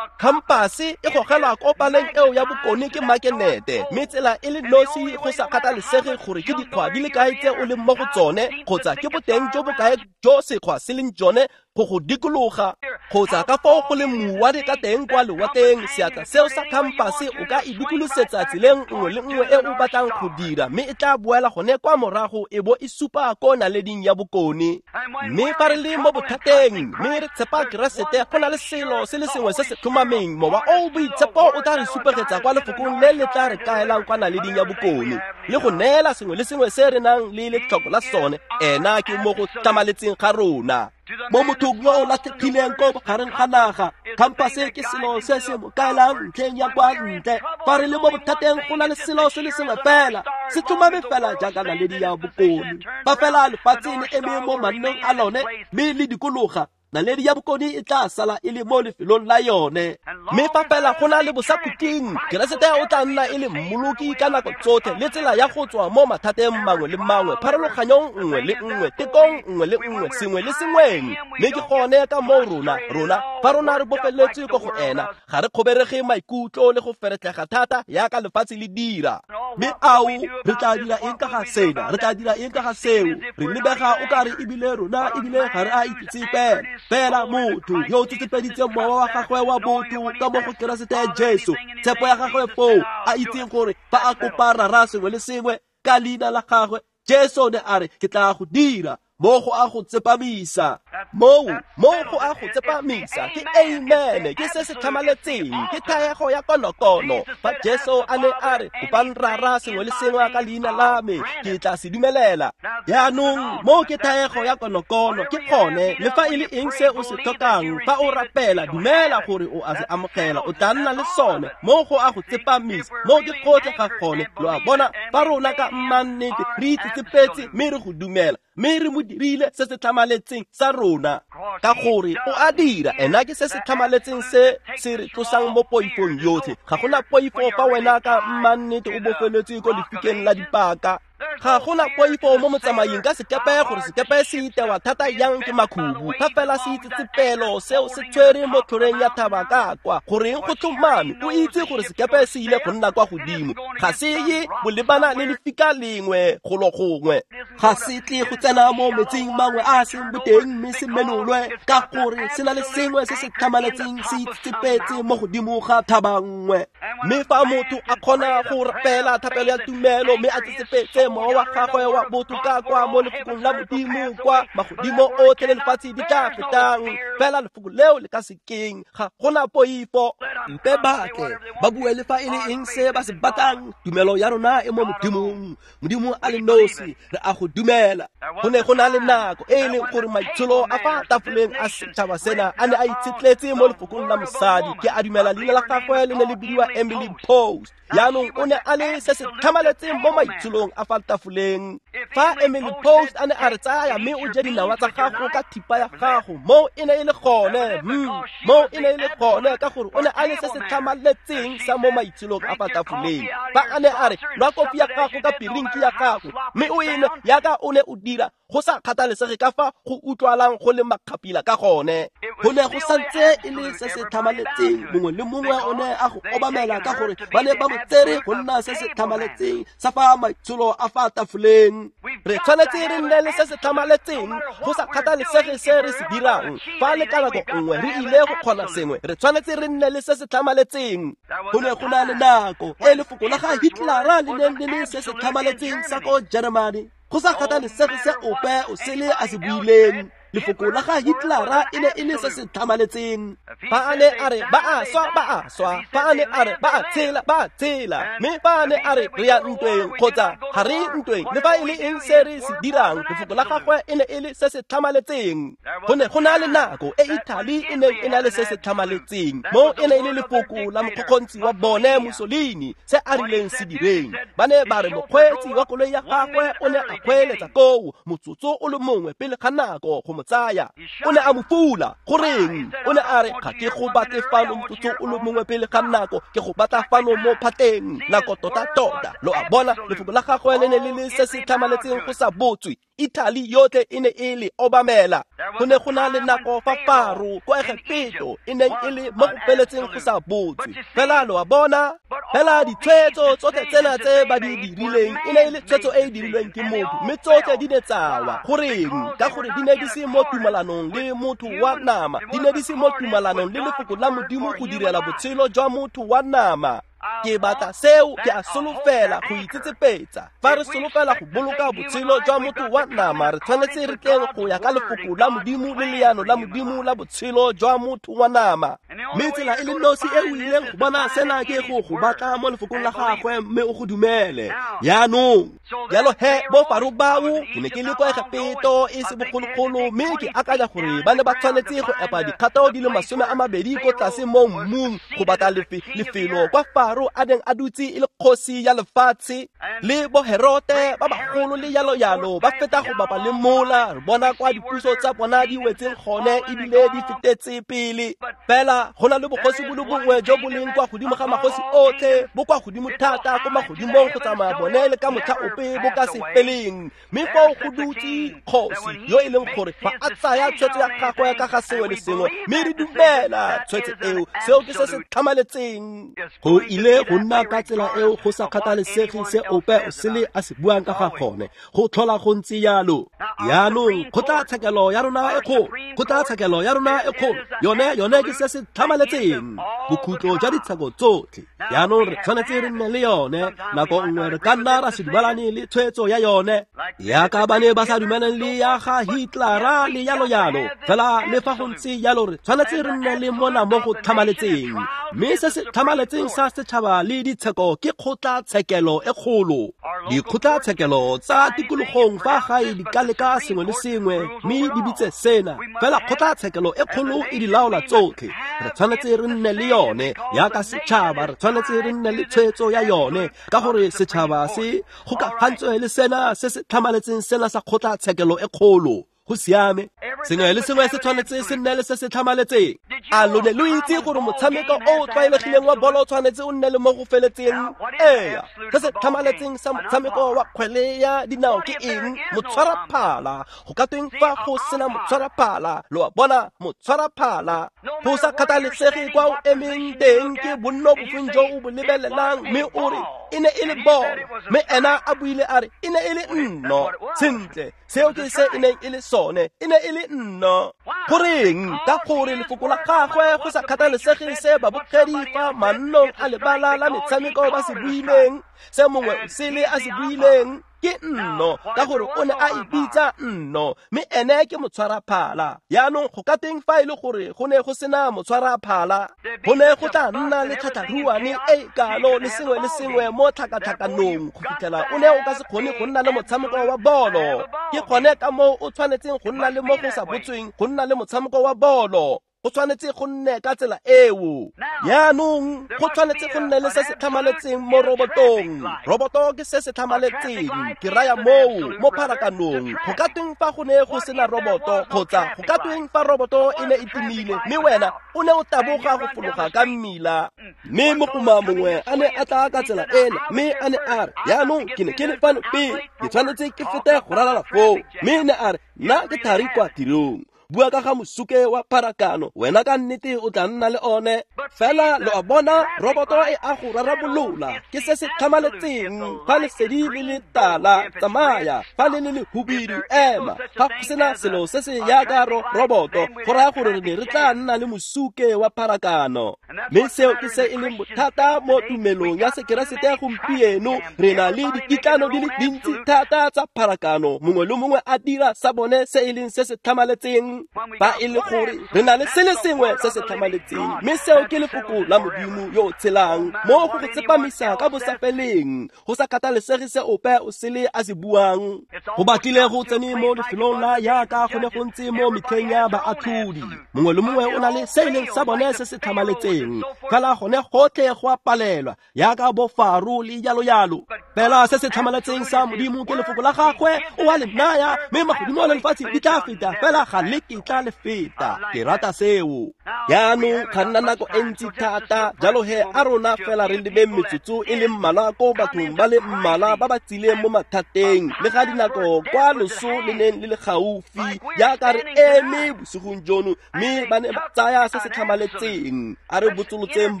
S1: khampase e gogelwa ko paleng eo ya bokone ke makenete, mme tsela e le nosi go sa kgathalesege gore ke dikgwa di le kae tse o leng mo go tsone, kgotsa ke boteng jo bokae jo sekgwa se leng jone go go dikologa, kgotsa ka fao go leng mouwane ka teng kwa lewatleng, seatla seo sa khampase o ka e dikolosetsa tseleng nngwe le nngwe e o batlang go dira, mme e tla boela gone kwa morago e bo e supa ko naleding ya bokone. Mme fa re le mo bothateng mme re tshepa Keresete, go na le selo se le sengwe se se tlhomameng, Mowa o o Boitshepo o tla re supegetsa kwa lefokong le le tla re kaelang kwa naleding ya bokone, le go neela sengwe le sengwe se re nang le letlhoko la sone. Ena ke mo go tlhamaletseng ga rona. Mo mothong yo o latlhegileng ko bogareng ga naga, khampase ke selo se se mo kaelang ntlheng ya kwa ntle. Fa re le mo bothateng, go na le selo se le sengwe fela se tlhomame fela jaaka naledi ya bokone. Fa fela lefatshe le eme mo mannong a lone mme le dikologa, naledi ya bokone e tla sala e le mo lefelong la yone. Mme fa fela go na le bosakhutleng, Keresete o tla nna e le mmoloki ka nako tsotlhe, le tsela ya go tswa mo mathateng mangwe le mangwe, pharologanyong nngwe le nngwe, tekong nngwe le nngwe, sengwe le sengweng. Mme ke gone ka moo rona fa rona re bofeletswe ko go ena, ga re kgoberege maikutlo le go feretlega thata yaka lefatshe le dira. Mme ao re tla dira eng ka ga sena, re tla dira eng ka ga seo, re lebega o kare ebile rona ebile ga re a itsetsepela. Fela motho yo o tsetsepeditseng mowa wa gagwe wa botho ka mo go Keresete Jesu, tshepo ya gagwe foo, a itseng gore fa a kopa Rara sengwe le sengwe ka leina la gagwe, Jesu ne a re, ke tla go dira. Mo go a go tsepamisa, moo mo go a go tsepamisa ke amen, ke se se tlhamaletseng, ke thaego ya konokono. Fa Jesu a ne a re, kopang Rara sengwe le sengwe ka leina la me, ke tla se dumelela. Jaanong moo ke thaego ya konokono, ke gone le fa e le eng se o se tlhokang, fa o rapela, dumela gore o a se amogela, o tla nna le sone. Mo go a go tsepamisa, moo ke gotlhe ga gone. Lo a bona, fa rona ka mmannete re itsetsepetse mme re go dumela, mme re mo dirile se se tlhamaletseng sa rona, ka gore o a dira. Ena ke se se tlhamaletseng se se re tlosang mo poifong yotlhe. Ga gona poifo fa wena ka mmannete o bofeletswe ko lefikeng la dipaka. Ga gona poifo mo motsamaing ka sekepe gore sekepe se itewa thata yang ke makhubu, fa fela se itsetsepelo seo se tshwere mo tlhoreng ya thaba ka kwa. Goreng go tlhomame, o itse gore sekepe se ile go nna kwa godimo, ga se ye bolebana le lefika lengwe golo gongwe, ga se tle go tsena mo metsing mangwe a seng boteng mme se menolwe, ka gore se na le sengwe se se tlhamaletseng se itsetsepetse mo godimo ga thaba nngwe. Mme fa motho a kgona go rapela thapelo ya tumelo mme a tsetsepetse mowa wa gagwe wa botho ka kwa mo lefokong la Modimo, kwa magodimo otlhe le lefatshe di tla fetang, fela lefoko leo le ka sekeng, ga gona poifo. Mpe batle ba bue le fa e le eng se ba se batlang, tumelo ya rona e mo Modimong, Modimo a le nosi, re a go dumela. Go ne go na le nako e e leng gore maitsholo a fa tafoleng a setšhaba sena a ne a itshetletse mo lefokong la mosadi. Ke a dumela leina la gagwe le ne le bidiwa Emily Post. Jaanong o ne a le se se tlhamaletseng mo maitsholong a fa tafoleng. tafoleng. Fa Emily Post a ne a re tsaya mme o je dinawa tsa gago ka thipa ya gago, moo e ne e le gone, moo e ne e le gone ka gore o ne a le se se tlhamaletseng sa mo maitsholong a fa tafoleng. Fa a ne a re nwa kofi ya gago ka pirinki ya gago mme o e nwe yaka o ne o dira, go sa kgathalesege ka fa go utlwalang go le makgapila ka gone, go ne go santse e le se se tlhamaletseng. Mongwe le mongwe o ne a go obamela ka gore ba ne ba mo tsere go nna se se tlhamaletseng sa fa maitsholo a fa tafoleng. Re tshwanetse re nne le se se tlhamaletseng go sa kgathalesege se re se dirang. Fa le ka nako nngwe re ile go kgona sengwe, re tshwanetse re nne le se se tlhamaletseng. Go ne go na le nako e lefoko la ga Hitlera le neng le le se se tlhamaletseng sa ko Germany, go sa kgathalesege se ope o sele a se buileng. Lefoko la ga Hitlera e ne e le se se tlhamaletseng. Fa a ne a re ba a swa, ba a swa. Fa a ne a re ba a tshela, ba a tshela. Mme fa a ne a re re ya ntweng kgotsa ga re ntweng, le fa e le eng se re se dirang, lefoko la gagwe e ne e le se se tlhamaletseng. Go ne go na le nako e Italy e neng e na le se se tlhamaletseng, mo e ne e le lefoko la mokgokgontsi wa bone Mussolini, se a rileng se direng. Ba ne ba re mokgweetsi wa koloi ya gagwe o ne a kgweeletsa koo motsotso o le mongwe pele ga nako go mo tsaya. O ne a mo fula. Goreng? O ne a re ga ke go batle fano motsotso o le mongwe pele ga nako, ke go batla fano mo phateng nako tota-tota. Lo a bona, lefoko la gagwe le ne le le se se tlhamaletseng go sa botswe. Italy yotlhe e ne e le obamela. Go ne go na le nako fa Faro kwa Egepeto e neng e le mo go feletseng go sa botswe. Fela lo a bona, fela ditshwetso tsotlhe tsena tse ba di dirileng e ne e le tshwetso e e dirilweng ke motho, mme tsotlhe di ne tsa wa. Goreng? Ka gore di ne di se mo tumalanong le motho wa nama, di ne di se mo tumalanong le lefoko la Modimo go direla botshelo jwa motho wa nama. Ke batla seo, ke a solofela go itsetsepetsa. Fa re solofela go boloka botshelo jwa motho wa nama, re tshwanetse re tleng go ya ka lefoko la Modimo le leano la Modimo la botshelo jwa motho wa nama. Mme tsela e le nosi e o ileng go bona sena ke go go batla mo lefokong la gagwe mme o go dumele. Jaanong, jalo he bo Faro bao, ke ne ke le kwa Egepeto e se bogologolo, mme ke akanya gore ba ne ba tshwanetse go epa dikgato di le 20 ko tlase mo mmung go batla lefelo kwa Faro a neng a dutse e le kgosi ya lefatshe. Le bo Herote ba bagolo le yalo-yalo ba feta go bapa le mola, re bona kwa dipuso tsa bona di wetseng gone ebile di fetetse pele. Fela go na le bogosi bo le bongwe jo bo leng kwa godimo ga magosi otlhe, bo kwa godimo thata ko magodimong go tsamaya bone le ka motlha ope bo ka se feleng. Mme foo go dutse kgosi yo e leng gore fa a tsaya tshwetso ya gagwe ka ga sengwe le sengwe, mme re dumela tshwetso eo, seo ke se se tlhamaletseng. Go ile go nna ka tsela eo go sa kgathalesege se ope o sele a se buang ka ga gone, go tlhola go ntse yalo. Jaanong kgotlatshekelo ya rona e kgolo, kgotlatshekelo ya rona e kgolo, yone ke se se tlhamaletseng, bokhutlo jwa ditsheko tsotlhe. Jaanong re tshwanetse re nne le yone. Nako nngwe re ka nna ra se dumalane le tshwetso ya yone, yaka ba ne ba sa dumeleng le ya ga Hitlera le yalo-yalo. Fela le fa go ntse yalo, re tshwanetse re nne le mona mo go tlhamaletseng. Mme se se tlhamaletseng sa setšhaba le ditsheko ke kgotlatshekelo e kgolo. Dikgotlatshekelo tsa tikologong fa gae di ka leka sengwe le sengwe mme di bitse sena, fela kgotlatshekelo e kgolo e di laola tsotlhe. Re tshwanetse re nne le yone yaka setšhaba, re tshwanetse re nne le tshwetso ya yone, ka gore setšhaba se gokagantswe le sena se se tlhamaletseng sena sa kgotlatshekelo e kgolo. Go siame, sengwe le sengwe se tshwanetse se nne le se se tlhamaletseng. A lo ne lo itse gore motshameko o o tlwaelegileng wa bolo o tshwanetse o nne le mo go feletseng? Ee, se se tlhamaletseng sa motshameko wa kgwele ya dinao ke eng? Motshwaraphala. Go ka tweng fa go sena motshwaraphala? Lo a bona, motshwaraphala. Go sa kgathalesege kwa o emeng teng, ke bonno bofeng jo o bo lebelelang, mme o re e ne e le bolo, mme ena a buile a re e ne e le nno. Sentle, seo ke se e neng e le sone, e ne e le nno. Goreng? Ka gore lefoko la gagwe, go sa kgathalesege se babogedi fa mannong a lebala la metshameko ba se buileng, se mongwe o sele a se buileng, ke nno, ka gore o ne a e bitsa nno, mme ene ke motshwaraphala. Jaanong go ka teng fa e le gore go ne go sena motshwaraphala, go ne go tla nna le tlhatlharuane e kalo le sengwe le sengwe mo tlhakatlhakanong go fitlhela o ne o ka se kgone go nna le motshameko wa bolo. Ke gone ka moo o tshwanetseng go nna le mo go sa botsweng go nna le motshameko wa bolo. Go tshwanetse go nne ka tsela eo. Jaanong go tshwanetse go nne le se se tlhamaletseng mo robotong. Roboto ke se se tlhamaletseng, ke raya moo mo pharakanong. Go ka tweng fa go ne go sena roboto, kgotsa go ka tweng fa roboto e ne e timile mme wena o ne o taboga go fologa ka mmila? Mme mogoma mongwe a ne a tla ka tsela ena, mme a ne a re, jaanong ke ne ke le fano pele, ke tshwanetse ke fete go ralala foo. Mme ne a re, nna ke thari kwa tirong. Bua ka ga mosuke wa pharakano, wena ka nnete o tla nna le one. Fela lo a bona, roboto e a go rarabolola, ke se se tlhamaletseng. Fa lesedi le le tala, tsamaya. Fa le le lehubidu, ema. Fa go sena selo se se yaka roboto, go raya gore re ne re tla nna le mosuke wa pharakano. Mme seo ke se e leng bothata mo tumelong ya Sekeresete gompieno. Re na le dikitlano di le dintsi thata tsa pharakano, mongwe le mongwe a dira sa bone se e leng se se tlhamaletseng. Fa e le gore re na le se le sengwe se se tlhamaletseng, mme seo ke lefoko la Modimo yo o tshelang, mo go go tsepamisa ka bosafeleng, go sa kgathalesege se ope o sele a se buang. Go batlile go tsene mo lefelong la yaka go ne go ntse mo metlheng ya baatlhodi. Mongwe le mongwe o na le se e leng sa bone se se tlhamaletseng, fela gone gotlhe go a palelwa, yaka bo Faro le jalo jalo. Fela se se tlhamaletseng sa Modimo ke lefoko la gagwe, o a le naya, mme magodimo le lefatshe di tla feta, fela ga le kitla le feta. Ke rata seo. Jaanong ga nna nako e ntsi thata, jalo he a rona fela re lebeng metsotso e le mmalwa ko bathong ba le mmalwa ba ba tsileng mo mathateng, le ga dinako kwa loso le neng le le gaufi, jaaka re eme bosigong jono, mme ba ne ba tsaya se se tlhamaletseng. A re botsolotseng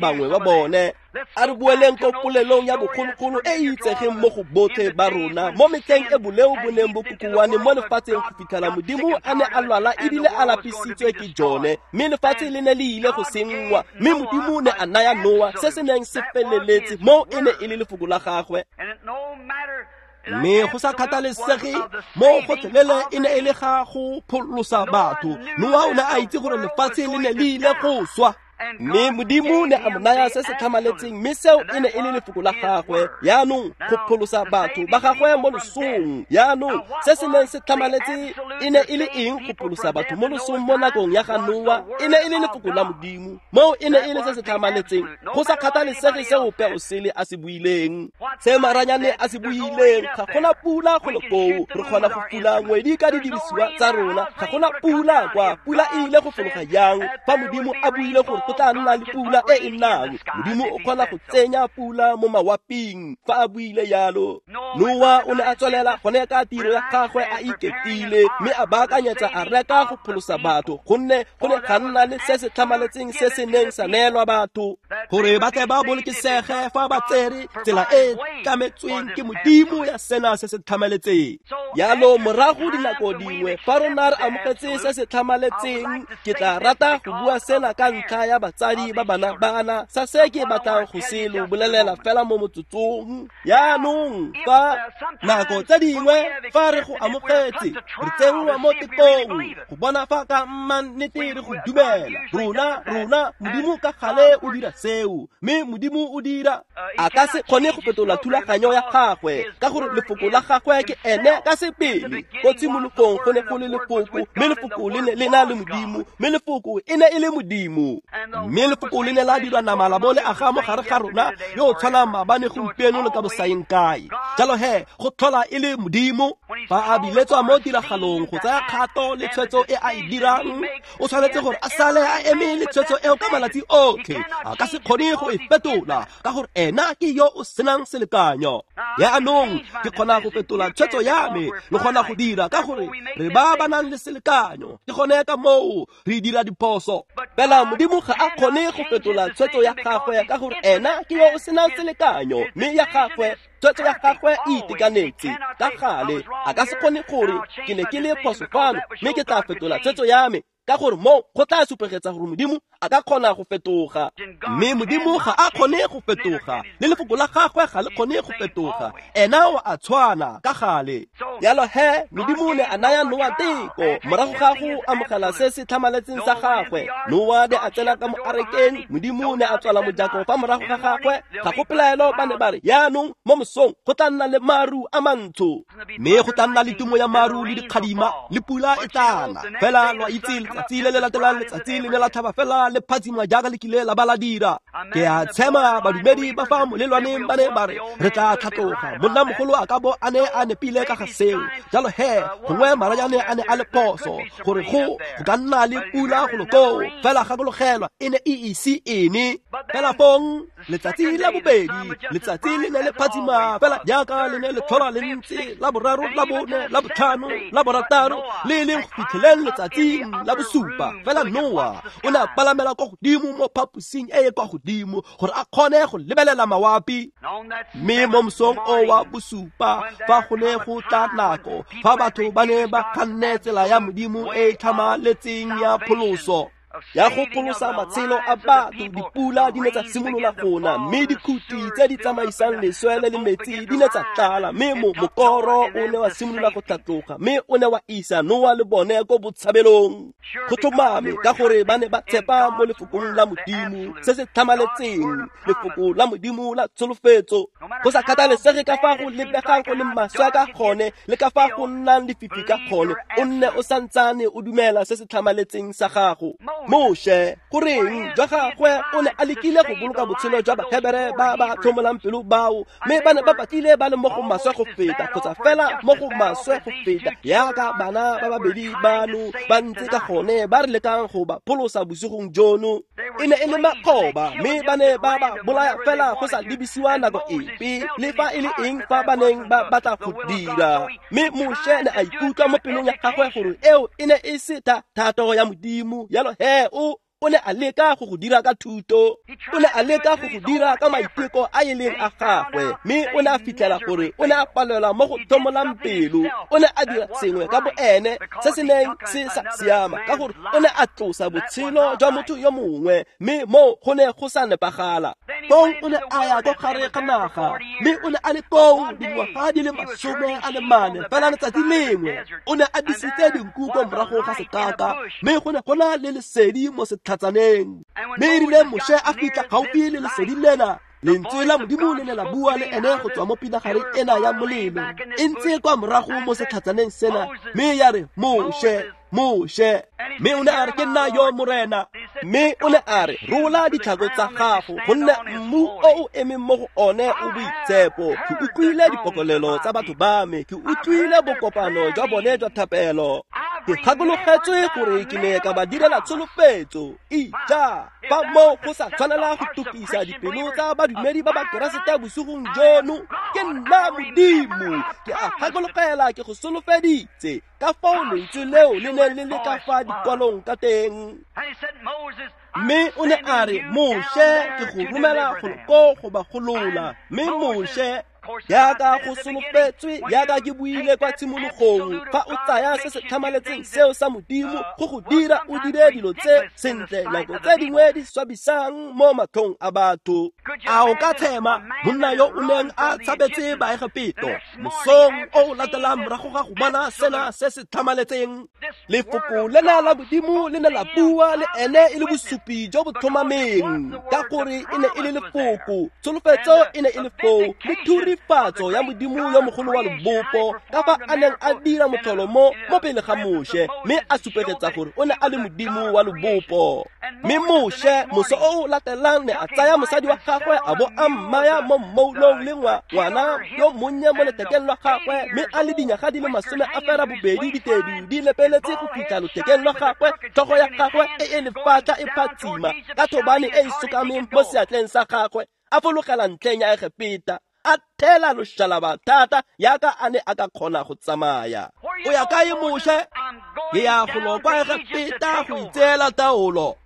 S1: bangwe ba bone. A re boeleng ko polelong ya bogologolo e e itsegeng mo go botlhe ba rona, mo metlheng e boleo bo neng bo kokoane mo lefatsheng go fitlhela Modimo a ne a lwala ebile a lapisitswe ke jone, mme lefatshe le ne le ile go senngwa, mme Modimo ne a naya Noa se se neng se feleletse, mo e ne e le lefoko la gagwe. Mme go sa kgathalesege mo gotlhelele e ne e le ga go pholosa batho, Noa o ne a itse gore lefatshe le ne le ile go swa. Mme Modimo ne a mo naya se se tlhamaletseng, mme seo e ne e le lefoko la gagwe, yaanong go pholosa batho ba gagwe mo losong. Yaanong se se neng se tlhamaletse e ne e le eng go pholosa batho mo losong mo nakong ya ga Noa? E ne e le lefoko la Modimo, moo e ne e le se se tlhamaletseng, go sa kgathalesege se ope o sele a se buileng, se maranyane a se buileng. Ga gona pula go le koo, re kgona go fula ngwedi ka didirisiwa tsa rona. Ga gona pula kwa, pula e ile go fologa jang fa Modimo a buile gore go tla nna le pula e e nnang? Modimo o kgona go tsenya pula mo mawaping fa a buile yalo. Noa o ne a tswelela gone ka tiro ya gagwe a iketile, mme a baakanyetsa a reka go pholosa batho, gonne go ne ga nna le se se tlhamaletseng se se neng sa neelwa batho gore ba tle ba bolokesege fa ba tsere tsela e tlametsweng ke Modimo ya sena se se tlhamaletseng. Yalo morago dinako dingwe fa rona re amogetse se se tlhamaletseng, ke tla rata go bua sena ka ntlha ya batsadi ba bana bana, sa se ke batlang go se lo bolelela fela mo motsotsong. Yaanong fa nako tse dingwe fa re go amogetse, re tsenngwa mo tekong go bona fa ka mmannete re go dumela. Rona Modimo ka gale o dira seo, mme Modimo o dira a ka se kgone go fetola thulaganyo ya gagwe, ka gore lefoko la gagwe ke ene ka sebele. Ko tshimologong go ne go le lefoko, mme lefoko le ne le na le Modimo, mme lefoko e ne e le Modimo. Mme lefoko le ne la dirwa nama la bo le aga mo gare ga rona, yo o tshwanang maabane, gompieno le ka bosaeng kae. Jalo he go tlhola e le Modimo. Fa a biletswa mo tiragalong go tsaya kgato le tshwetso e a e dirang, o tshwanetse gore a sale a eme le tshwetso eo ka malatsi otlhe. A ka se kgone go e fetola, ka gore ena ke yo o senang selekanyo. Yaanong ke kgona go fetola tshwetso ya me, le kgona go dira, ka gore re ba ba nang le selekanyo. Ke gone ka moo re dira diphoso. Fela Modimo ga a kgone go fetola tshwetso ya gagwe, ka gore ena ke yo o senang selekanyo, mme ya gagwe tshwetso ya gagwe e itekanetse ka gale. A ka se kgone gore ke ne ke le phoso fano, mme ke tla fetola tshwetso ya me, ka gore mo go tla supegetsa gore Modimo a ka kgona go fetoga. Mme Modimo ga a kgone go fetoga, le lefoko la gagwe ga le kgone go fetoga. Ena o a tshwana ka gale. Yalo he Modimo ne a naya Noa teko morago ga go amogela se se tlhamaletseng sa gagwe. Noa ne a tsena ka mo arekeng, Modimo ne a tswala mojako fa morago ga gagwe. Ga go pelaelo ba ne ba re, yaanong mo mosong go tla nna le maru a mantsho, mme go tla nna le tumo ya maru le dikgadima, le pula e tla na. Fela lo itse Letsatsi le le latelang letsatsi le ne la tlhaba fela le phatsima jaaka le kile la ba la dira. Ke a tshema badumedi ba fa molelwaneng ba ne ba re re tla tlhatloga. Monnamogolo a ka bo a ne a nepile ka ga seo. Jalo he gongwe maranyane a ne a le phoso gore go ka nna le pula golo koo, fela gakologelwa e ne e ise ene. Fela fong letsatsi la bobedi letsatsi le ne le phatsima fela jaaka le ne le tlhola le ntse, la boraro, la bone, la botlhano, la borataro, le leng go fitlheleng letsatsing la bosupa. Fela Noa o ne a palamela kwa godimo mo phaposing e e kwa godimo gore a kgone go lebelela mawapi. Mme mo mosong o wa bosupa fa go ne go tla nako fa batho ba ne ba kganne tsela ya Modimo e e tlhamaletseng ya pholoso, ya go pholosa matshelo a batho, dipula di ne tsa simolola go na, mme dikhuti tse di tsamaisang leswe le le metsi di ne tsa tlala, mme mokoro o ne wa simolola go tlhatloga, mme o ne wa isa Noa le bone ko botshabelong. Go tlhomame ka gore ba ne ba tshepa mo lefokong la Modimo se se tlhamaletseng, lefoko la Modimo la tsholofetso. Go sa kgathalesege ka fa go lebegang go le maswe ka gone le ka fa go nnang lefifi ka gone, o nne o santsane o dumela se se tlhamaletseng sa gago. Moshe goreng jwa gagwe o ne a lekile go boloka botshelo jwa Bahebere ba ba tlhomolang pelo bao, mme ba ne ba batlile ba le mo go maswe go feta, kgotsa fela mo go maswe go feta yaka bana ba babedi bano ba ntse ka gone ba re lekang go ba pholosa bosigong jono. E ne e le makgoba, mme ba ne ba ba bolaya fela go sa lebisiwa nako epe le fa e le eng fa ba neng ba batla go dira. Mme Moshe ne a ikutlwa mo pelong ya gagwe gore eo e ne e se thato ya Modimo. Jalo he o ne a leka go go dira ka thuto, o ne a leka go go dira ka maiteko a e leng a gagwe, mme o ne a fitlhela gore o ne a palelwa mo go tlhomolang pelo. O ne a dira sengwe ka boene se se neng se sa siama, ka gore o ne a tlosa botshelo jwa motho yo mongwe, mme mo go ne go sa nepagala. Fong o ne a ya ko gare ga naga, mme o ne a le koo dingwaga di le 44. Fela letsatsi lengwe o ne a disitse dinku ko morago ga sekaka, mme go ne go na le lesedi mo setlhatsaneng. Mme erile Moshe a fitlha gaufi le lesedi lena, lentswe la Modimo le ne la bua le ene go tswa mo pinagareng ena ya molelo e ntse kwa morago mo setlhatsaneng sena, mme ya re, Moshe, Moshe. Mme o ne a re, ke nna yo Morena. Mme o ne a re, rola ditlhako tsa gago, gonne mmu o o emeng mo go one o boitshepo. Ke utlwile dipokolelo tsa batho ba me, ke utlwile bokopano jwa bone jwa thapelo. Ke gakologetswe gore ke ne ka ba direla tsholofetso. Ija fa mo go sa tshwanela go tukisa dipelo tsa badumedi ba Bakeresete bosigong jono, ke nna Modimo, ke a gakologela, ke go solofeditse. Ka fao lentswe leo le ne le le ka fa dikwalong ka teng. Mme o ne a re, Moshe, ke go romela golo ko go ba golola. Mme Moshe, jaaka go solofetswe, jaaka ke buile kwa tshimologong, fa o tsaya se se tlhamaletseng seo sa Modimo go go dira o dire dilo tse sentle nako tse dingwe di swabisang mo matlhong a batho. A o ka tshema monna yo o neng a tshabetse Baegepeto mosong o o latelang morago ga go bona sena se se tlhamaletseng? Lefoko lena la Modimo le ne la bua le ene e le bosupi jo bo tlhomameng, ka gore e ne e le lefoko, tsholofetso e ne e le foo, le thurifatso ya Modimo yo mogolo wa lebopo, ka fa a neng a dira motlholo mo pele ga Moshe, mme a supegetsa gore o ne a le Modimo wa lebopo. Mme Moshe moso o o latelang ne a tsaya mosadi wa gagwe a bo a mmaya mo mmoulong le ngwana yo monnye mo lethekeng lwa gagwe, mme a le dinyaga di le 82 ditedu di lepeletse go fitlha lothekeng lwa gagwe, tlhogo ya gagwe e e lefatla e phatsima ka thobane e e sokameng mo seatleng sa gagwe, a fologela ntlheng ya Egepeta, a thela loshalaba thata yaka a ne a ka kgona go tsamaya. O ya kae Moshe? Ke ya golo kwa Egepeta go itseela taolo,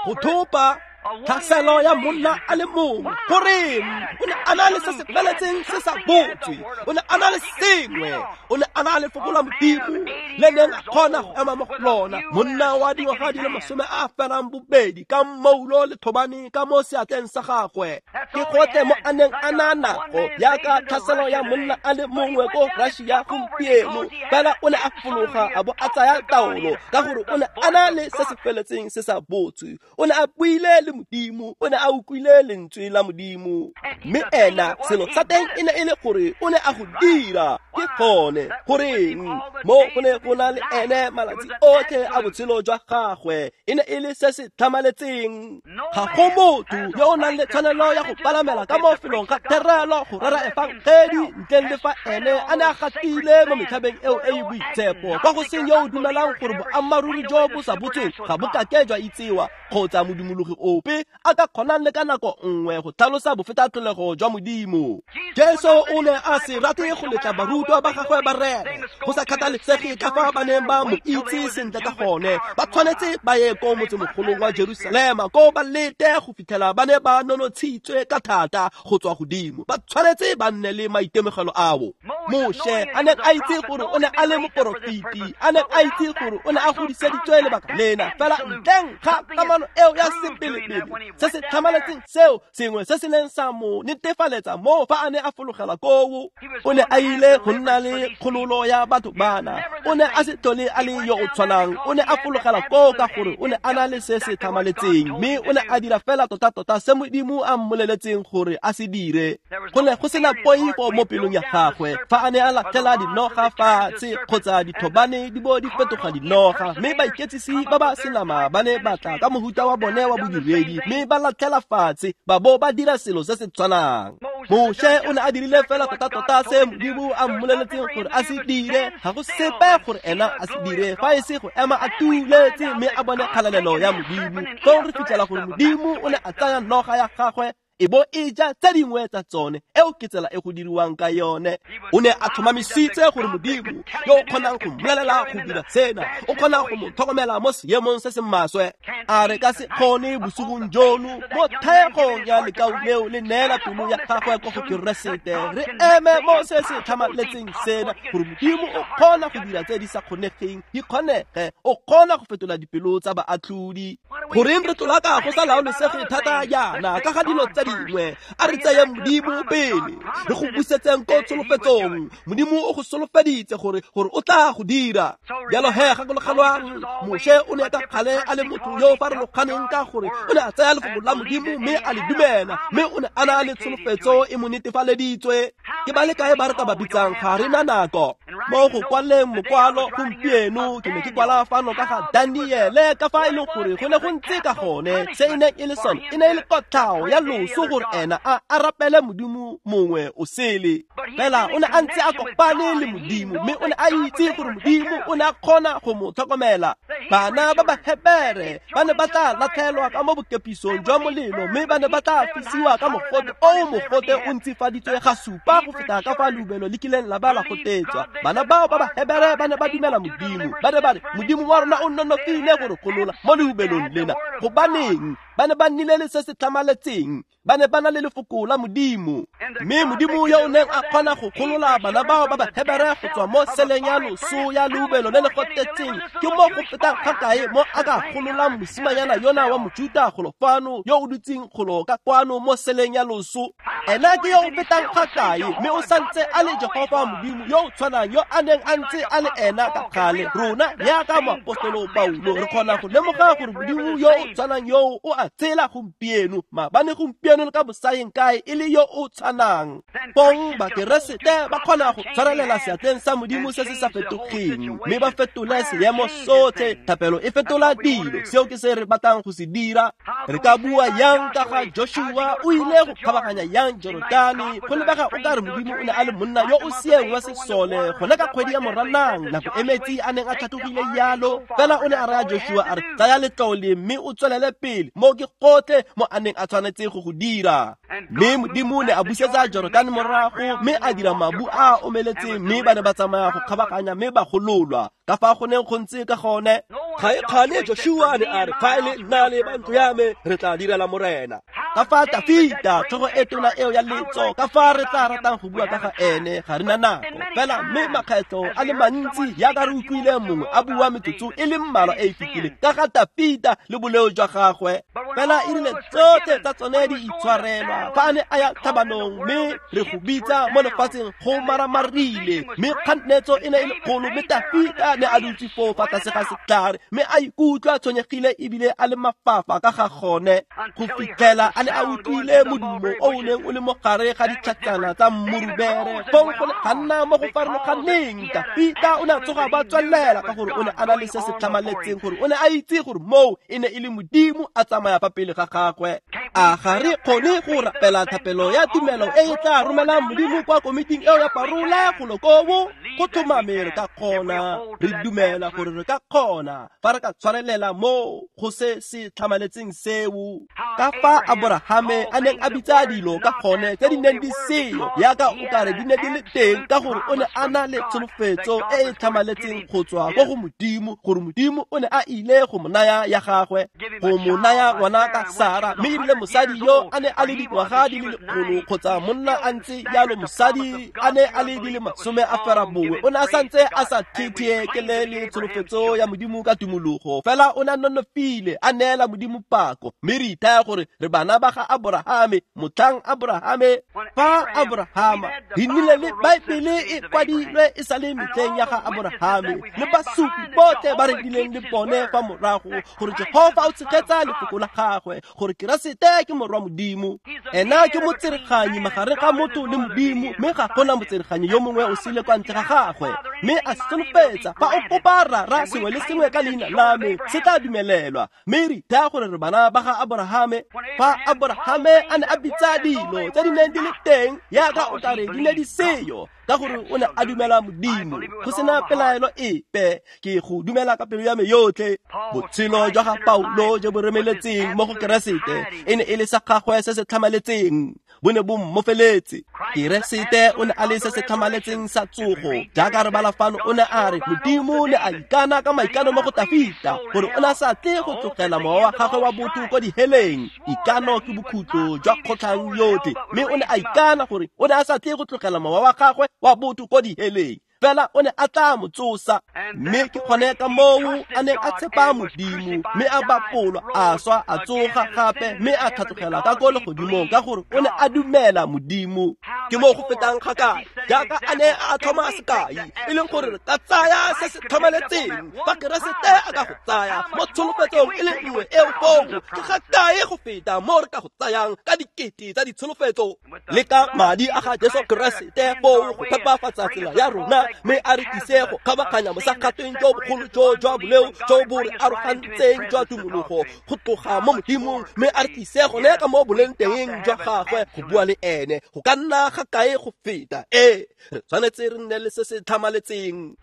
S1: go thopa tlhaselo ya monna a le mongwe. Goreng o ne a na le se se feletseng se sa botswe, o ne a na le sengwe, o ne a na le lefoko la Modimo le neng a kgona go ema mo go lona. Monna wa dingwaga di le 82 ka mmoulo le thobane ka mo seatleng sa gagwe, ke gotlhe mo a neng a na nako yaka tlhaselo ya monna a le mongwe ko Russia gompieno. Fela o ne a fologa a bo a tsaya taolo, ka gore o ne a na le se se feletseng se sa botswe. O ne a buile le Modimo, o ne a utlwile lentswe la Modimo. Mme ena selo sa teng e ne e le gore o ne a go dira. Ke gone goreng mo go ne go na le ene malatsi otlhe a botshelo jwa gagwe, e ne e le se se tlhamaletseng. Ga go motho yo o nang le tshwanelo ya go palamela ka mo felong ga therelo go rera efangedi ntleng le fa ene a ne a gatile mo metlhabeng eo e e boitshepo, kwa go seng yo o dumelang gore boammaaruri jo bo sa botsweng ga bo kake jwa itsewa, kgotsa modumologi ope a ka kgonang le ka nako nngwe go tlhalosa bofetatlholego jwa Modimo. Jesu o ne a se rate go letla barutwa ba gagwe ba rere, go sa kgathalesege ka fa ba neng ba mo itse sentle ka gone. Ba tshwanetse ba ye ko motsemogolong wa Jerusalema, ko ba lete go fitlhela ba ne ba nonotshitswe ka thata go tswa godimo. Ba tshwanetse ba nne le maitemogelo ao. Moshe a neng a itse gore o ne a le moporofeti, a neng a itse gore o ne a godiseditswe lebaka lena, fela ntleng ga kamano eo ya sepelepele se se tlhamaletseng seo, sengwe se se neng sa mo netefaletsa mo fa a ne a fologela koo, o ne a ile go nna le kgololo ya batho bana. O ne a se tlhole a le yo o tshwanang, o ne a fologela koo ka gore o ne a na le se se tlhamaletseng, mme o ne a dira fela tota-tota se Modimo a mmoleletseng gore a se dire. Go ne go sena poifo mo pelong ya gagwe fa a ne a latlhela dinoga fatshe kgotsa dithobane di bo di fetoga dinoga, mme baiketsisi ba ba senama ba ne ba tla ka mohuta wa bone wa bodiredi mme ba latlhela fatshe ba bo ba dira selo se se tshwanang. Moshe o ne a dirile fela tota-tota se Modimo a mmoleletseng gore a se dire. Ga go sepe gore ena a se dire fa e se go ema a tuletse mme a bone kgalalelo ya Modimo. Fong re fitlhela gore Modimo o ne a tsaya noga ya gagwe e bo e ja tse dingwe tsa tsone. Eo ke tsela e go diriwang ka yone. O ne a tlhomamisitse gore Modimo yo o kgonang go mmolelela go dira sena, o kgona go mo tlhokomela mo seemong se se maswe. A re ka se kgone bosigong jono mo thaegong ya lekau leo le neela pelo ya gagwe kwa go Keresete, re eme mo se se tlhamaletseng sena gore Modimo o kgona go dira tse di sa kgonegeng di kgonege, o kgona go fetola dipelo tsa baatlhodi. Goreng re tlolaka go sa laolesege thata jaana ka ga dilo tse dingwe? A re tseyeng Modimo pele, re go busetseng ko tsholofetsong. Modimo o go solofeditse gore o tla go dira. Jalo he gakologelwang, Moshe o ne ka kgale a le motho yo o farologaneng ka gore o ne a tsaya lefoko la Modimo mme a le dumela, mme o ne a na le tsholofetso e mo netefaleditswe. Ke ba le kae ba re ka ba bitsang? Ga re na nako. Mo go kwaleng mokwalo gompieno, ke ne ke kwala fano ka ga Daniele, ka fa e leng gore go ne go ntse ka gone. Se e neng e le sone e ne e le kotlhao ya loso gore ena a rapele Modimo mongwe o sele. Fela o ne a ntse a kopane le Modimo, mme o ne a itse gore Modimo o ne a kgona go mo tlhokomela. Bana ba Bahebere ba ne ba tla latlhelwa ka mo bokepisong jwa molelo, mme ba ne ba tla fisiwa ka mogote o mogote o ntsifaditswe ga supa go feta ka fa leubelo le kileng la ba la gotetswa. Bana bao ba Bahebere ba ne ba dumela Modimo. Ba ne ba re, Modimo wa rona o nonofile go re golola mo leubelong lena. Gobaneng? Ba ne ba nnile le se se tlhamaletseng. Ba ne ba na le lefoko la Modimo. Mme Modimo yo o neng a kgona go golola bana bao ba Bahebere go tswa mo seleng ya loso ya leubelo le le gotetseng, ke mo go fetang ga kae mo a ka gololang mosimanyana yona wa Mojuta golo fano yo o dutseng golo ka kwano mo seleng ya loso. Ena ke yo o fetang ga kae, mme o santse a le Jehofa Modimo yo o tshwanang yo a neng a ntse a le ena ka kgale. Rona jaaka moapostolo Paulo re kgona go lemoga gore Modimo yo o tshwanang yo o a tshela gompieno, maabane, gompieno le ka bosaeng kae, e le yo o tshwanang. Bong Bakeresete ba kgona go tshwarelela seatleng sa Modimo se se sa fetogeng, mme ba fetole seemo sotlhe. Thapelo e fetola dilo. Seo ke se re batlang go se dira. Re ka bua yang ka ga Joshua? O ile go kgabaganya yang Jorodane? Go lebega o ka re Modimo o ne a le monna yo o sieng wa sesole gone ka kgwedi ya Moranang, nako e metsi a neng a tlhatlogile yalo. Fela o ne a raya Joshua a re, tsaya letlole mme o tswelele pele. Mo ke gotlhe mo a neng a tshwanetse go go dira. Mme Modimo ne a busetsa Jorodane morago, mme a dira mabu a omeletseng, mme ba ne ba tsamaya go kgabaganya mme ba gololwa. Ka fa go neng go ntse ka gone. Ga e kgane Joshua ne a re, fa e le nna le ba ntlo ya me, re tla direla Morena. Ka fa Tafita, tlhogo e tona eo ya letso, ka fa re tla ratang go bua ka ga ene, ga re na nako. Fela mme makgetlo a le mantsi jaaka re utlwile mongwe a bua metsotso e le mmalwa e e fetileng ka ga Tafita le boleo jwa gagwe. Fela e rile tsotlhe tsa tsone di itshwarelwa fa a ne a ya tlhabanong, mme re go bitsa mo lefatsheng go maramarile, mme kganetso e ne e le kgolo, mme Tafita ne a dutse foo fa tlase ga setlhare, mme a ikutlwa tshwenyegile ebile a le mafafa ka ga gone, go fitlhela a ne a utlwile modumo o o neng o le mo gare ga ditlhatsana tsa mmurubere. Fong go ne ga nna mo go farologaneng. Tafita o ne a tsoga ba tswelela ka gore o ne a na le se se tlhamaletseng, gore o ne a itse gore moo e ne e le Modimo a tsamaya fa pele ga gagwe. A ga re kgone go rapela thapelo ya tumelo e e tla romelang Modimo kwa komiting eo ya parola golo koo? Go tlhomame re ka kgona. Re dumela gore re ka kgona fa re ka tshwarelela mo go se se tlhamaletseng seo. Ka fa Aborahame a neng a bitsa dilo ka gone tse di neng di seyo yaka o kare di ne di le teng, ka gore o ne a na le tsholofetso e e tlhamaletseng go tswa ko go Modimo, gore Modimo o ne a ile go mo naya ya gagwe, go mo naya ngwana ka Sara. Mme erile mosadi yo a ne a le dingwaga di le 100 kgotsa monna a ntse jalo, mosadi a ne a le di le 90, o ne a santse a sa thetheekele le tsholofetso ya Modimo ka tumologo. Fela o ne a nonofile, a neela Modimo pako. Mme re ithaya gore re bana ba ga Aborahame. Motlhang Aborahame, fa Aborahama, re nnile le Baebele e kwadilwe e sa le metlheng ya ga Aborahame, le basupi botlhe ba re nnileng le bone fa morago, gore Jehofa o tshegetsa lefoko la gagwe, gore Keresete ke morwa Modimo. Ena ke motsereganyi magareng ga motho le Modimo, mme ga gona motsereganyi yo mongwe o sele kwa ntle ga gagwe. Mme a solofetsa, fa o kopa Rara sengwe le sengwe ka leina la me, se tla dumelelwa. Mme re ithaya gore re bana ba ga Aborahame. Fa Aborahame a ne a bitsa dilo tse di neng di le teng yaka o kare di ne di seyo, ka gore o ne a dumela Modimo go sena pelaelo epe. Ke go dumela ka pelo ya me yotlhe. Botshelo jwa ga Paulo jo bo remeletseng mo go Keresete e ne e le sa gagwe se se tlhamaletseng, bo ne bo mmofeletse. Keresete o ne a le se se tlhamaletseng sa tsogo. Jaaka re bala fano, o ne a re Modimo ne a ikana ka maikano mo go Tafita gore o ne a sa tle go tlogela mowa wa gagwe wa botho ko diheleng. Ikano ke bokhutlo jwa kgotlhang yotlhe, mme o ne a ikana gore o ne a sa tle go tlogela mowa wa gagwe wa botho ko diheleng, fela o ne a tla mo tsosa. Mme ke gone ka moo a neng a tshepa Modimo, mme a bapolwa, a swa, a tsoga gape, mme a tlhatlogela ka ko legodimong, ka gore o ne a dumela Modimo. Ke mo go fetang ga kae, jaaka a ne a tlhoma sekai, e leng gore re ka tsaya se se tlhamaletseng fa Keresete a ka go tsaya mo tsholofetsong e le nngwe eo foo, ke ga kae go feta mo re ka go tsayang ka dikete tsa ditsholofetso le ka madi a ga Jesu Keresete foo go phepafatsa tsela ya rona, mme a re tlise go kgabaganya mosagatweng jo bogolo jo jwa boleo jo bo re arogantseng jwa tumologo go tloga mo Modimong, mme a re tlise gone ka mo boleng teng jwa gagwe go bua le ene. Go ka nna ga kae go feta? Ee, re tshwanetse re nne le se se tlhamaletseng.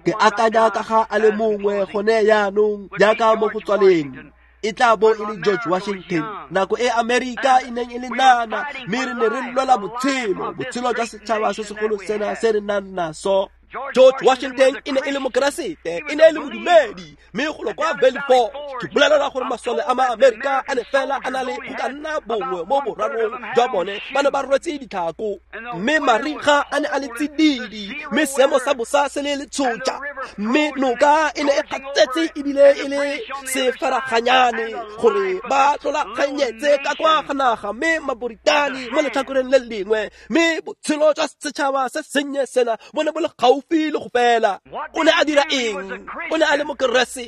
S1: Ke akanya ka ga a le mongwe gone yaanong, jaaka mo go tswaleng, e tla bo e le George Washington, nako e Amerika e neng e le nana, mme re ne re lwela botshelo, botshelo jwa setšhaba se segolo sena se re nang naso. George Washington e ne e le mokeresete, e ne e le modumedi, mme golo kwa Valley Forge, ke bolelela gore masole a ma-Amerika a ne fela a na le go ka nna bongwe mo borarong jwa bone ba ne ba rwetse ditlhako, mme mariga a ne a le tsididi, mme seemo sa bosa se le letshotša, mme noka e ne e gatsetse ebile e le sefaraganyane gore ba tlolaganyetse ka kwa ga naga, mme Maboritane mo letlhakoreng le lengwe, mme botshelo jwa setšhaba se sennye sena bo ne bo le gaufi le go fela. O ne a dira eng? O ne a le mokeresete.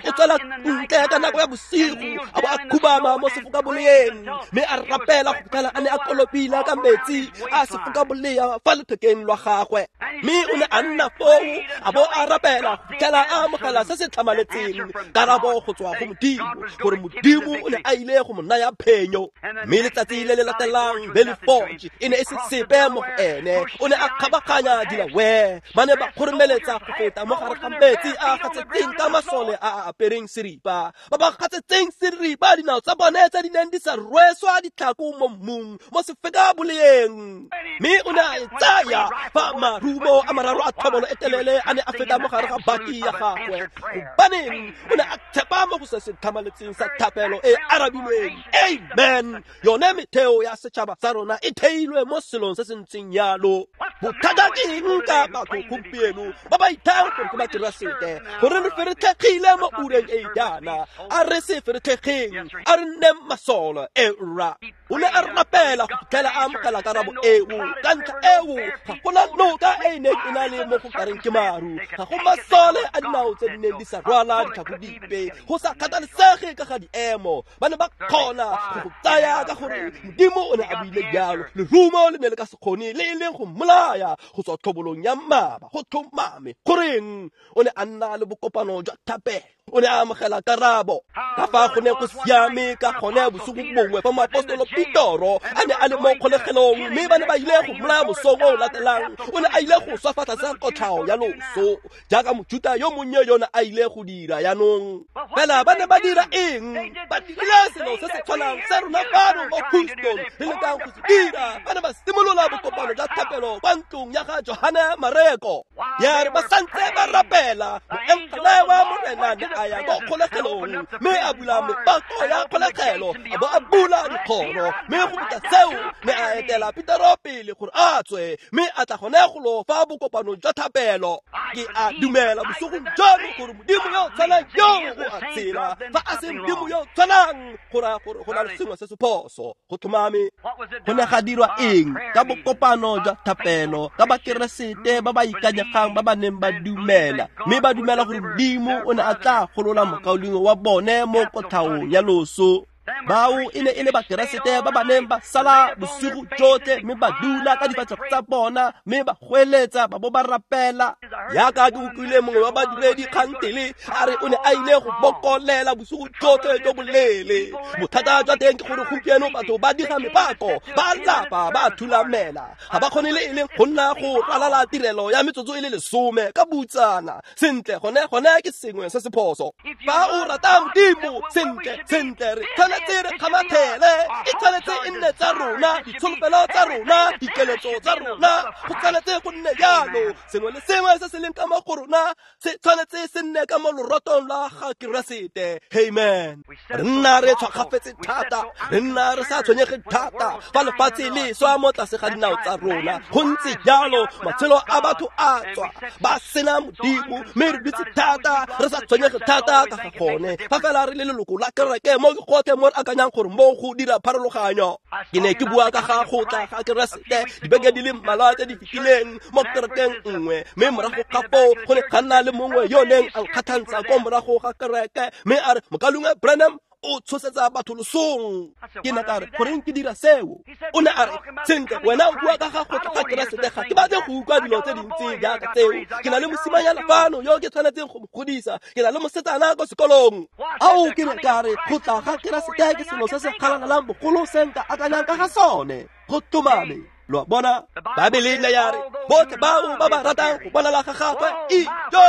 S1: O tswela ntle ka nako ya bosigo, a bo a khubama mo sefokaboleeng, mme a rapela go fitlhela a ne a kolobile ka metsi a sefokabolea fa lethekeng lwa gagwe. Mme o ne a nna foo a bo a rapela go fitlhela a amogela se se tlhamaletseng, karabo go tswa go Modimo, gore Modimo o ne a ile go mo naya phenyo. Mme letsatsi le le latelang Valley Forge e ne e se sepe mo go ene. O ne a kgabaganya Delaware, Ba ne ba kgoromeletsa go feta mo gare ga metsi a gatsetseng ka masole a a apereng seripa, ba ba gatsetseng seripa dinao tsa bone tse di neng di sa rweswa ditlhako mo mmung mo sefeka boleng. Mme o ne a e tsaya fa marumo a mararo a thobolo e telele a ne a feta mo gare ga baki ya gagwe. Gobaneng o ne a tshepa mo go se se tlhamaletseng sa thapelo e arabilweng. Amen. Yone metheo ya setšhaba sa rona e theilwe mo selong se se ntseng yalo. Bothata ke eng ka batho gompieno ba ba ithang gore ke Bakeresete, gore re feretlhegile mo ureng e jaana? A re se feretlhegeng, a re nneng masole. Era o ne a rapela go fitlhela a amogela karabo eo. Ka ntlha eo ga gona noka e e neng e na le mo go kareng ke maru, ga go masole a dinao tse di neng di sa rwala ditlhako dipe, go sa kgathalesege ka ga diemo. Ba ne ba kgona go go tsaya ka gore Modimo o ne a buile jalo. Lerumo le ne le ka se kgone le e leng go mmolaya go tswa tlhobolong ya mmaba. Go tlhomame goreng o ne a nna le bokopano jwa thapelo, o ne a amogela karabo. Ka fa go ne go siame ka gone bosigo bongwe fa moapostolo Petoro a ne a le mo kgolegelong, mme ba ne ba ile go mmolaya mosong o o latelang. O ne a ile go swa fa tlase ga kotlhao ya loso jaaka Mojuta yo monnye yone a ile go dira. Jaanong fela ba ne ba dira eng? Ba dirile selo se se tshwanang se rona fano mo Houston re lekang go se dira. Ba ne ba simolola bokopano jwa thapelo kwa ntlong ya ga Johane Mareko. Ya re ba santse ba rapela, moengele wa Morena ne a ya ko kgolegelong mme a bula mepako ya kgolegelo, a bo a bula dikgoro, mme go feta seo ne a etela Petero pele gore a tswe, mme a tla gone golo fa bokopanong jwa thapelo. Ke a dumela bosigong jono gore Modimo yo o tshwanang yo o a tshela. Fa a se Modimo yo o tshwanang, go raya gore go na le sengwe se se phoso. Go tlhomame. Go ne ga dirwa eng ka bokopano jwa thapelo ka Bakeresete ba ba ikanyegang ba ba neng ba dumela, mme ba dumela gore Modimo o ne a tla golola mokaulengwe wa bone mo kotlhaong ya loso? Bao e ne e le Bakeresete ba ba neng ba sala bosigo jotlhe mme ba dula ka difatlhego tsa bona mme ba goeletsa ba bo ba rapela. Yaka ke utlwile mongwe wa badiredi kgantele a re o ne a ile go bokolela bosigo jotlhe jo boleele. Bothata jwa teng ke gore gompieno batho ba diga mepako, ba lapa, ba thulamela, ga ba kgone le e leng go nna go ralala tirelo ya metsotso e le 10 ka butsana. Sentle, gone ke sengwe se se phoso. Fa o rata Modimo, sentle sentle re tshwanetse re kgamathele, e tshwanetse e nne tsa rona, ditsholofelo tsa rona, dikeletso tsa rona, go tshwanetse go nne jalo. Sengwe le sengwe se se leng ka mo go rona se tshwanetse se nne ka mo lorotong la ga Keresete. Amen. Re nna re tshwakgafetse thata, re nna re sa tshwenyege thata fa lefatshe le swa mo tlase ga dinao tsa rona. Go ntse jalo, matshelo a batho a tswa ba sena Modimo, mme re dutse thata re sa tshwenyege thata ka ga gone. Fa fela re le leloko la kereke mo ke gotlhe mo re akanyang gore mo go dira pharologanyo. Ke ne ke bua ka ga go tla ga Keresete dibeke di le mmalwa tse di fetileng mo kerekeng nngwe, mme morago ga foo go ne ga nna le mongwe yo neng a nkgathantsha ko morago ga kereke, mme a re, Mokaulengwe Branham o tshosetsa batho losong. Ke ne ka re, goreng ke dira seo? O ne a re, sentle, wena o bua ka ga go tla ga Keresete, ga ke batle go utlwa dilo tse dintsi jaaka tseo. Ke na le mosimanyana fano yo ke tshwanetseng go mo godisa, ke na le mosetsana ko sekolong. Ao, ke ne ka re, go tla ga Keresete ke selo se se galalelang bogolo se nka akanyang ka ga sone. Go tlhomame. Lo a bona, Baebele ne ya re botlhe bao ba ba ratang go bonala ga gagwe, ijo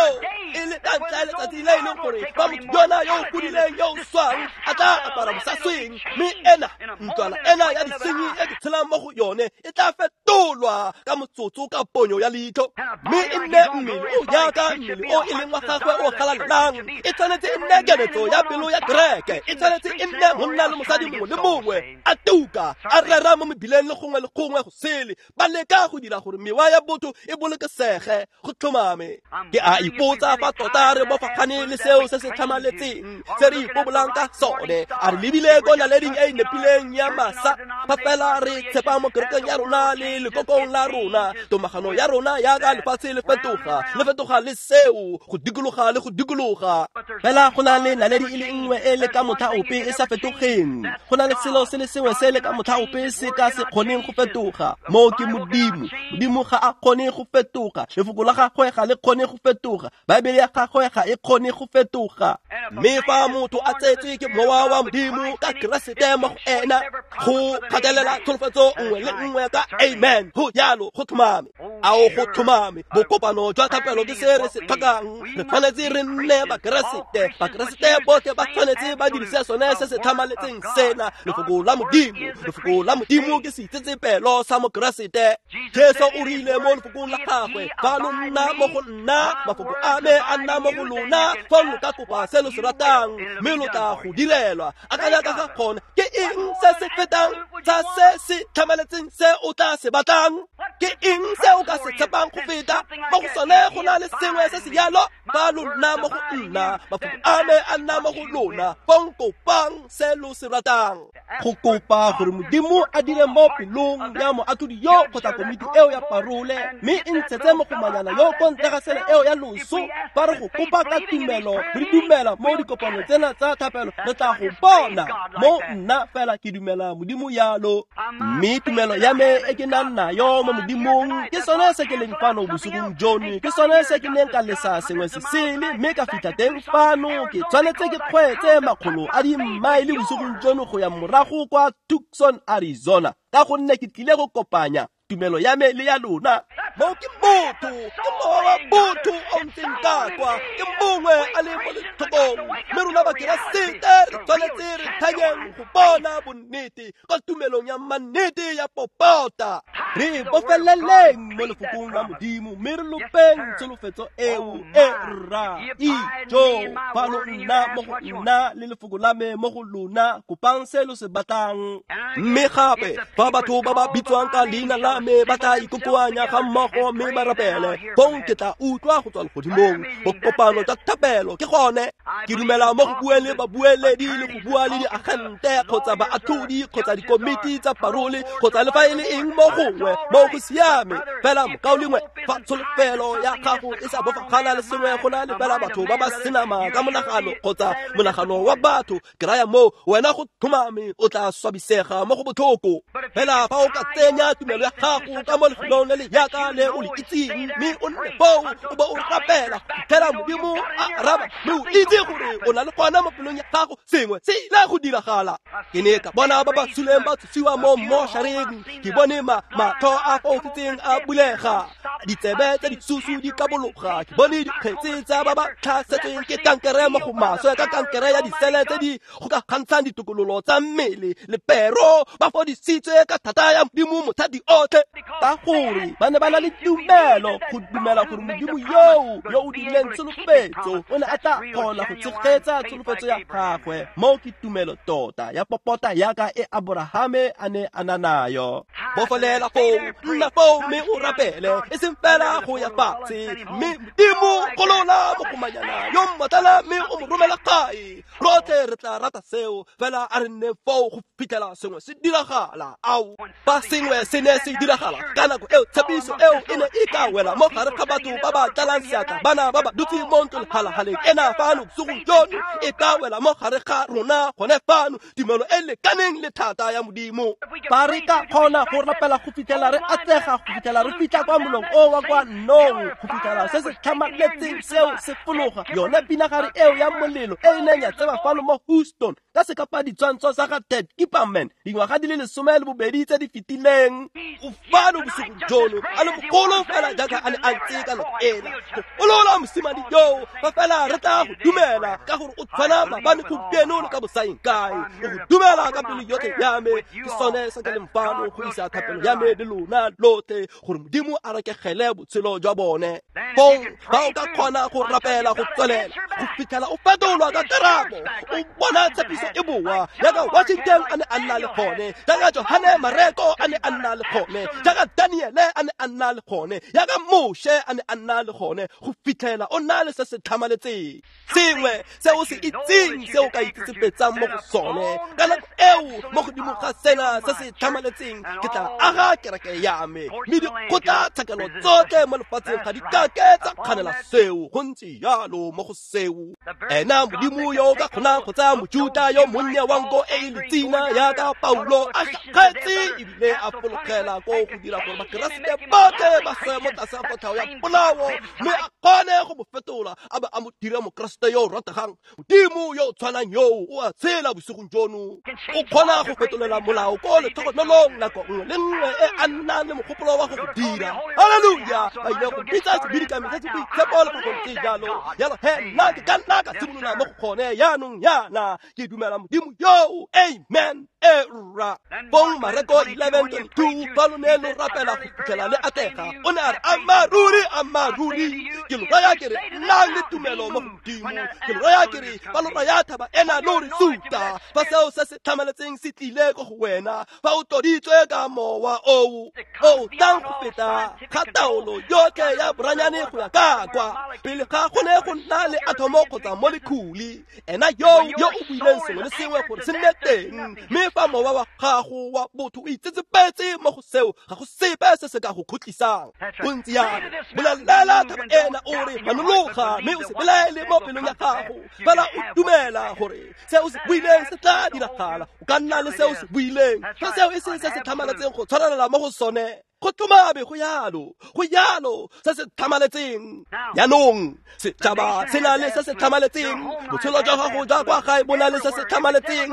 S1: e le ka ntlha ya letsatsi le e leng gore fa motho yona yo o godileng yo o swang a tla apara bosasweng, mme ena ntlwana ena ya disenyi e ke tshelang mo go yone e tla fetolwa ka motsotso ka ponyo ya leitlho, mme e nne mmele o jaaka mmele o e leng wa gagwe o galalelang. E tshwanetse e nne keletso ya pelo ya kereke, e tshwanetse e nne monna le mosadi mongwe le mongwe a tuka a rera mo mebileng le gongwe le gongwe go sele, ba leka go dira gore mewa ya botho e bolokesege. Go tlhomame. Ke a ipotsa fa tota re bofagane le seo se se tlhamaletseng se re ipobolang ka sone. A re lebile ko naleding e e nepileng ya masa? Fa fela re tshepa mo kerekeng ya rona le lekokong la rona, tomagano ya rona yaka lefatshe le fetoga, le fetoga le seo, go dikologa le go dikologa. Fela go na le naledi e le nngwe e le ka motlha ope e sa fetogeng. Go na le selo se le sengwe se le ka motlha ope se ka se kgoneng go fetoga, moo ke Modimo. Modimo ga a kgone go fetoga, lefoko la gagwe ga le kgone go fetoga, Baebele ya gagwe ga e kgone go fetoga. Mme fa motho a tsetswe ke mowa wa Modimo ka Keresete mo go ena, go gatelela tsholofetso nngwe le nngwe ka amen. Amen. Go jalo, go tlhomame. Ao go tlhomame. Bokopano jwa thapelo ke se re se tlhokang. Re tshwanetse re nne Bakeresete. Bakeresete botlhe ba tshwanetse ba dirise sone se se tlhamaletseng sena. Lefoko la Modimo. Lefoko la Modimo ke seitsetsepelo sa Mokeresete. Jesu o rile mo lefokong la gagwe, fa lo nna mo go nna, mafoko a me a nna mo go lona, fa lo ka kopa se lo se ratang, mme lo tla go direlwa. Akanya ka ga gone, ke eng se se fetang tsa se se tlhamaletseng se o tla se batlang? Ke eng se o ka se tshepang go feta? Mo go sone go na le sengwe se se jalo. Fa lo nna mo go nna, mafoko a me a nna mo go lona, fong kopang se lo se ratang. Go kopa gore Modimo a dire mo pelong ya moatlhodi yo kgotsa komiti eo ya parole, mme e ntshetse mogomanyana yo ko ntle ga sele eo ya loso. Fa re go kopa ka tumelo, re dumela mo dikopanong tsena tsa thapelo, re tla go bona. Mo nna fela ke dumela Modimo yalo, mme tumelo ya me e ke nang nayo mo Modimong ke sone se ke leng fano bosigong jono, ke sone se ke neng ka lesa sengwe se sele mme ka fitlha teng fano. Ke tshwanetse ke kgweetse makgolo a dimmaele bosigong jono go ya morago kwa Tucson, Arizona, ka gonne ke tlile go kopanya tumelo ya me le ya lona. Mo ke motho, ke mowa wa botho o ntseng ka kwa, ke mongwe a le mo lethokong, mme rona Bakeresete re tshwanetse re thanyeng go bona bonnete ka tumelong ya mannete ya popota. Re bofeleleng mo lefokong la Modimo, mme re lopeng tsholofetso eo e rra. Ijo, fa lo nna mo go nna le lefoko la me mo go lona, kopang se lo se batlang. Mme gape fa batho ba ba bitswang ka leina la me ba tla ikokoanya ga mmogo mme ba rapele, fong ke tla utlwa go tswa legodimong. Bokopano jwa thapelo ke gone. Ke dumela mo go bueng le babueledi le go bua le diagente kgotsa baatlhodi kgotsa dikomiti tsa parole kgotsa le fa e le eng mo gongwe mo go siame. Fela mokaulengwe, fa tsholofelo ya gago e sa bofagana le sengwe go na le fela batho ba ba senama ka monagano kgotsa monagano wa batho, ke raya mo wena go tlhomame o tla swabisega mo go botlhoko. Fela fa o ka tsenya tumelo ya gago ka mo lefelong le le yaka le o le itseng, mme o nne foo o bo o rapela go fitlhela Modimo a araba, mme o itse gore o na le gona mo pelong ya gago sengwe se ile go diragala. Ke ne ka bona ba ba suleng ba tsosiwa mo moshareng, ke bone matlho a foufetseng a bulega, ditsebe tse disusu di kabologa, ke bone dikgetse tsa ba ba tlhasetsweng ke kankere mo go maswe ka kankere ya disele tse di gokagantshang ditokololo tsa mmele le pero, ba fodisitswe ka thata ya Modimo mothati otlhe, ka gore ba ne ba na le tumelo go dumela gore Modimo yoo yo o dirileng tsholofetso o ne a tla kgona go tshegetsa tsholofetso ya gagwe. Mo ke tumelo tota ya popota yaka e Aborahame a ne a na nayo. Bofelela foo, nna foo mme o rapele, e seng fela go ya fatshe, mme Modimo golola mogomanyana yo mmotlana mme o mo romela gae. Rotlhe re tla rata seo, fela a re nne foo go fitlhela sengwe se diragala. Ao, fa sengwe se ne se diragala ka nako eo, tshepiso eo e ne e ka wela mo gare ga batho ba ba tlalang seatla, bana ba ba dutseng mo ntlong halahaleng ena fano bosigong jono, e ka wela mo gare ga rona gone fano, tumelo e lekaneng le thata ya Modimo. Fa re ka kgona go rapela go fitlhela re atlega, go fitlhela re fitlha kwa molong o wa kwa nnong, go fitlhela se se tlhamaletseng seo se fologa, yone pinagare eo ya molelo e e neng ya tseba fano mo Houston ka sekapa ditshwantsho sa ga Ted Kipperman dingwaga di le 12 tse di fetileng, o fano bosigo jono a le mogolo fela jaaka a ne a ntse ka nako ela. Go golola mosimane yoo, fa fela re tla go dumela ka gore o tshwana maabane, gompieno le ka bosaeng kae. O go dumela ka pelo yotlhe ya me. Ke sone se ke leng fano go isa thapelo ya me le lona lotlhe, gore Modimo a rekegele botshelo jwa bone. Fong fa o ka kgona go rapela go tswelela go fitlhela o fetolwa ka karabo, o bona tshepiso e boa, jaaka Washington a ne a nna le gone, jaaka Johane Mareko a ne a nna le gone, jaaka Daniele a ne a nna le gone, jaaka Moshe a ne a nna le gone, go fitlhela o nna le se se tlhamaletseng, sengwe se o se itseng se o ka itsetsepetsang mo go sone. Ka nako eo, mo godimo ga sena se se tlhamaletseng, ke tla aga kereke ya me, mme dikgotlatshekelo tsotlhe mo lefatsheng ga di kake tsa kganela seo. Go ntse jalo mo go seo. Ena Modimo yo o ka kgonang go tsaya Mojuta yo monnye wa nko e e letsina yaka Paulo a šakgetse ebile a fologela ko go dira gore Bakeresete botlhe ba swe mo tlase ga kotlhao ya polao, mme a kgone go mo fetola a be a mo dira Mokeresete yo o rategang. Modimo yo o tshwanang yoo o a tshela bosigong jono. O kgona go fetolela molao ko letlhogonolong nako nngwe le nngwe e a nnang le mogopolo wa go go dira. Haleluya! Ba ile go bitsa sebidikami se se boitshepo le fa go ntse jalo. Jalo he nna ke ka nna ka simolola mo go gone jaanong jaana. Ke dumela Modimo yoo. Amen. Era. Bong Mareko 11:22, fa lo ne lo rapela go fitlhela le atlega, o ne a re, ammaruri, ammaruri, ke lo raya ke re, nnang le tumelo mo go Modimo. Ke lo raya ke re, fa lo raya thaba ena lo re suta, fa seo se se tlhamaletseng se tlile ko go wena, fa o tloditswe ka mowa oo o tlang go feta ga taolo yotlhe ya boranyane go ya ka kwa pele ga go ne go nna le athomo kgotsa molekhuli, ena yo o buileng sengwe le sengwe gore se nne teng, mme fa mowa wa gago wa botho o itsetsepetse mo go seo, ga go sepe se se ka go khutlisang. Go ntse jalo. Bolelela thaba ena o re, manologa, mme o se belaele mo pelong ya gago, fela o dumela gore se o se buileng se tla diragala. O ka nna le se o se buileng, fa seo e se se se tlhamaletseng go tshwarelela mo go sone. Go tlhomabe go yalo, go yalo se se tlhamaletseng. Jaanong setšhaba se na le se se tlhamaletseng, botshelo jwa gago jwa kwa gae bo na le se se tlhamaletseng.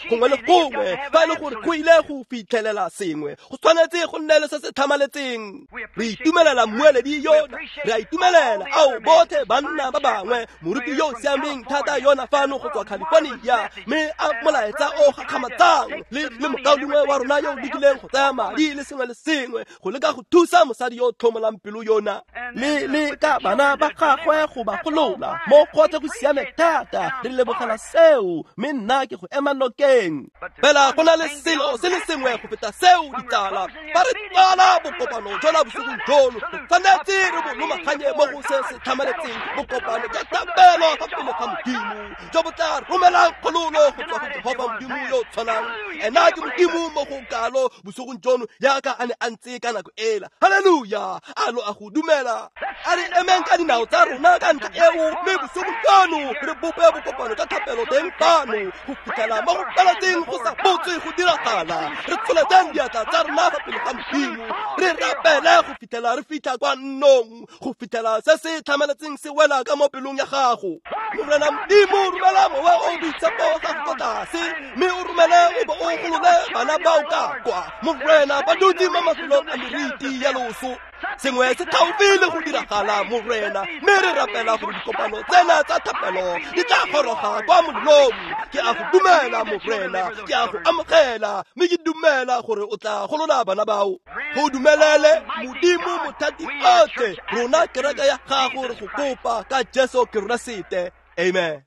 S1: Gongwe le gongwe fa e le gore go ile go fitlhelela sengwe, go tshwanetse go nne le se se tlhamaletseng. Re itumelela mmueledi yona, re a itumelela ao botlhe banna ba bangwe, moruti yo o siameng thata yona fano go tswa California, mme a molaetsa o gakgamatsang le mokaulengwe wa rona yo o lekileng go tsaya madi le sengwe le sengwe go leka go thusa mosadi yo o tlhomolang pelo yona le ka bana ba gagwe go ba golola mo gotlhe go siame thata. Re lebogela seo, mme nna ke go ema nokeng. Fela go na le selo se le sengwe go feta seo, ditsala. Fa re tsala bokopano jona bosigong jono, re tshwanetse re bo lomaganye mo go se se tlhamaletseng, bokopano jwa thapelo fa pele ga Modimo jo bo tla romelang kgololo go tswa go Jehofa Modimo yo o tshwanang. Ena ke Modimo mo go kalo bosigong jono jaaka a ne a ntse ka nako ela. Haleluya! A lo a go dumela? A re emeng ka dinao tsa rona ka ntlha eo, mme bosigong jono re bope bokopano jwa thapelo teng fano go fitlhela mo go feletseng go sa botswe go diragala. Re tsholetseng diatla tsa rona fa pele ga Modimo, re rapele go fitlhela re fitlha kwa nnong, go fitlhela se se tlhamaletseng se wela ka mo pelong ya gago. Morena Modimo, romela mowa o boitshepo wa gago kwa tlase, mme o romele o bo o golole bana bao ka kwa. Morena, ba dutse mo mafelong a meriti ya loso. Sengwe se gaufi le go diragala, Morena, mme re rapela gore dikopano tsena tsa thapelo di tla goroga kwa molelong. Ke a go dumela, Morena, ke a go amogela, mme ke dumela gore o tla golola bana bao. Go dumelele, Modimo mothati otlhe, rona kereke ya gago re go kopa ka Jesu Keresete. Amen.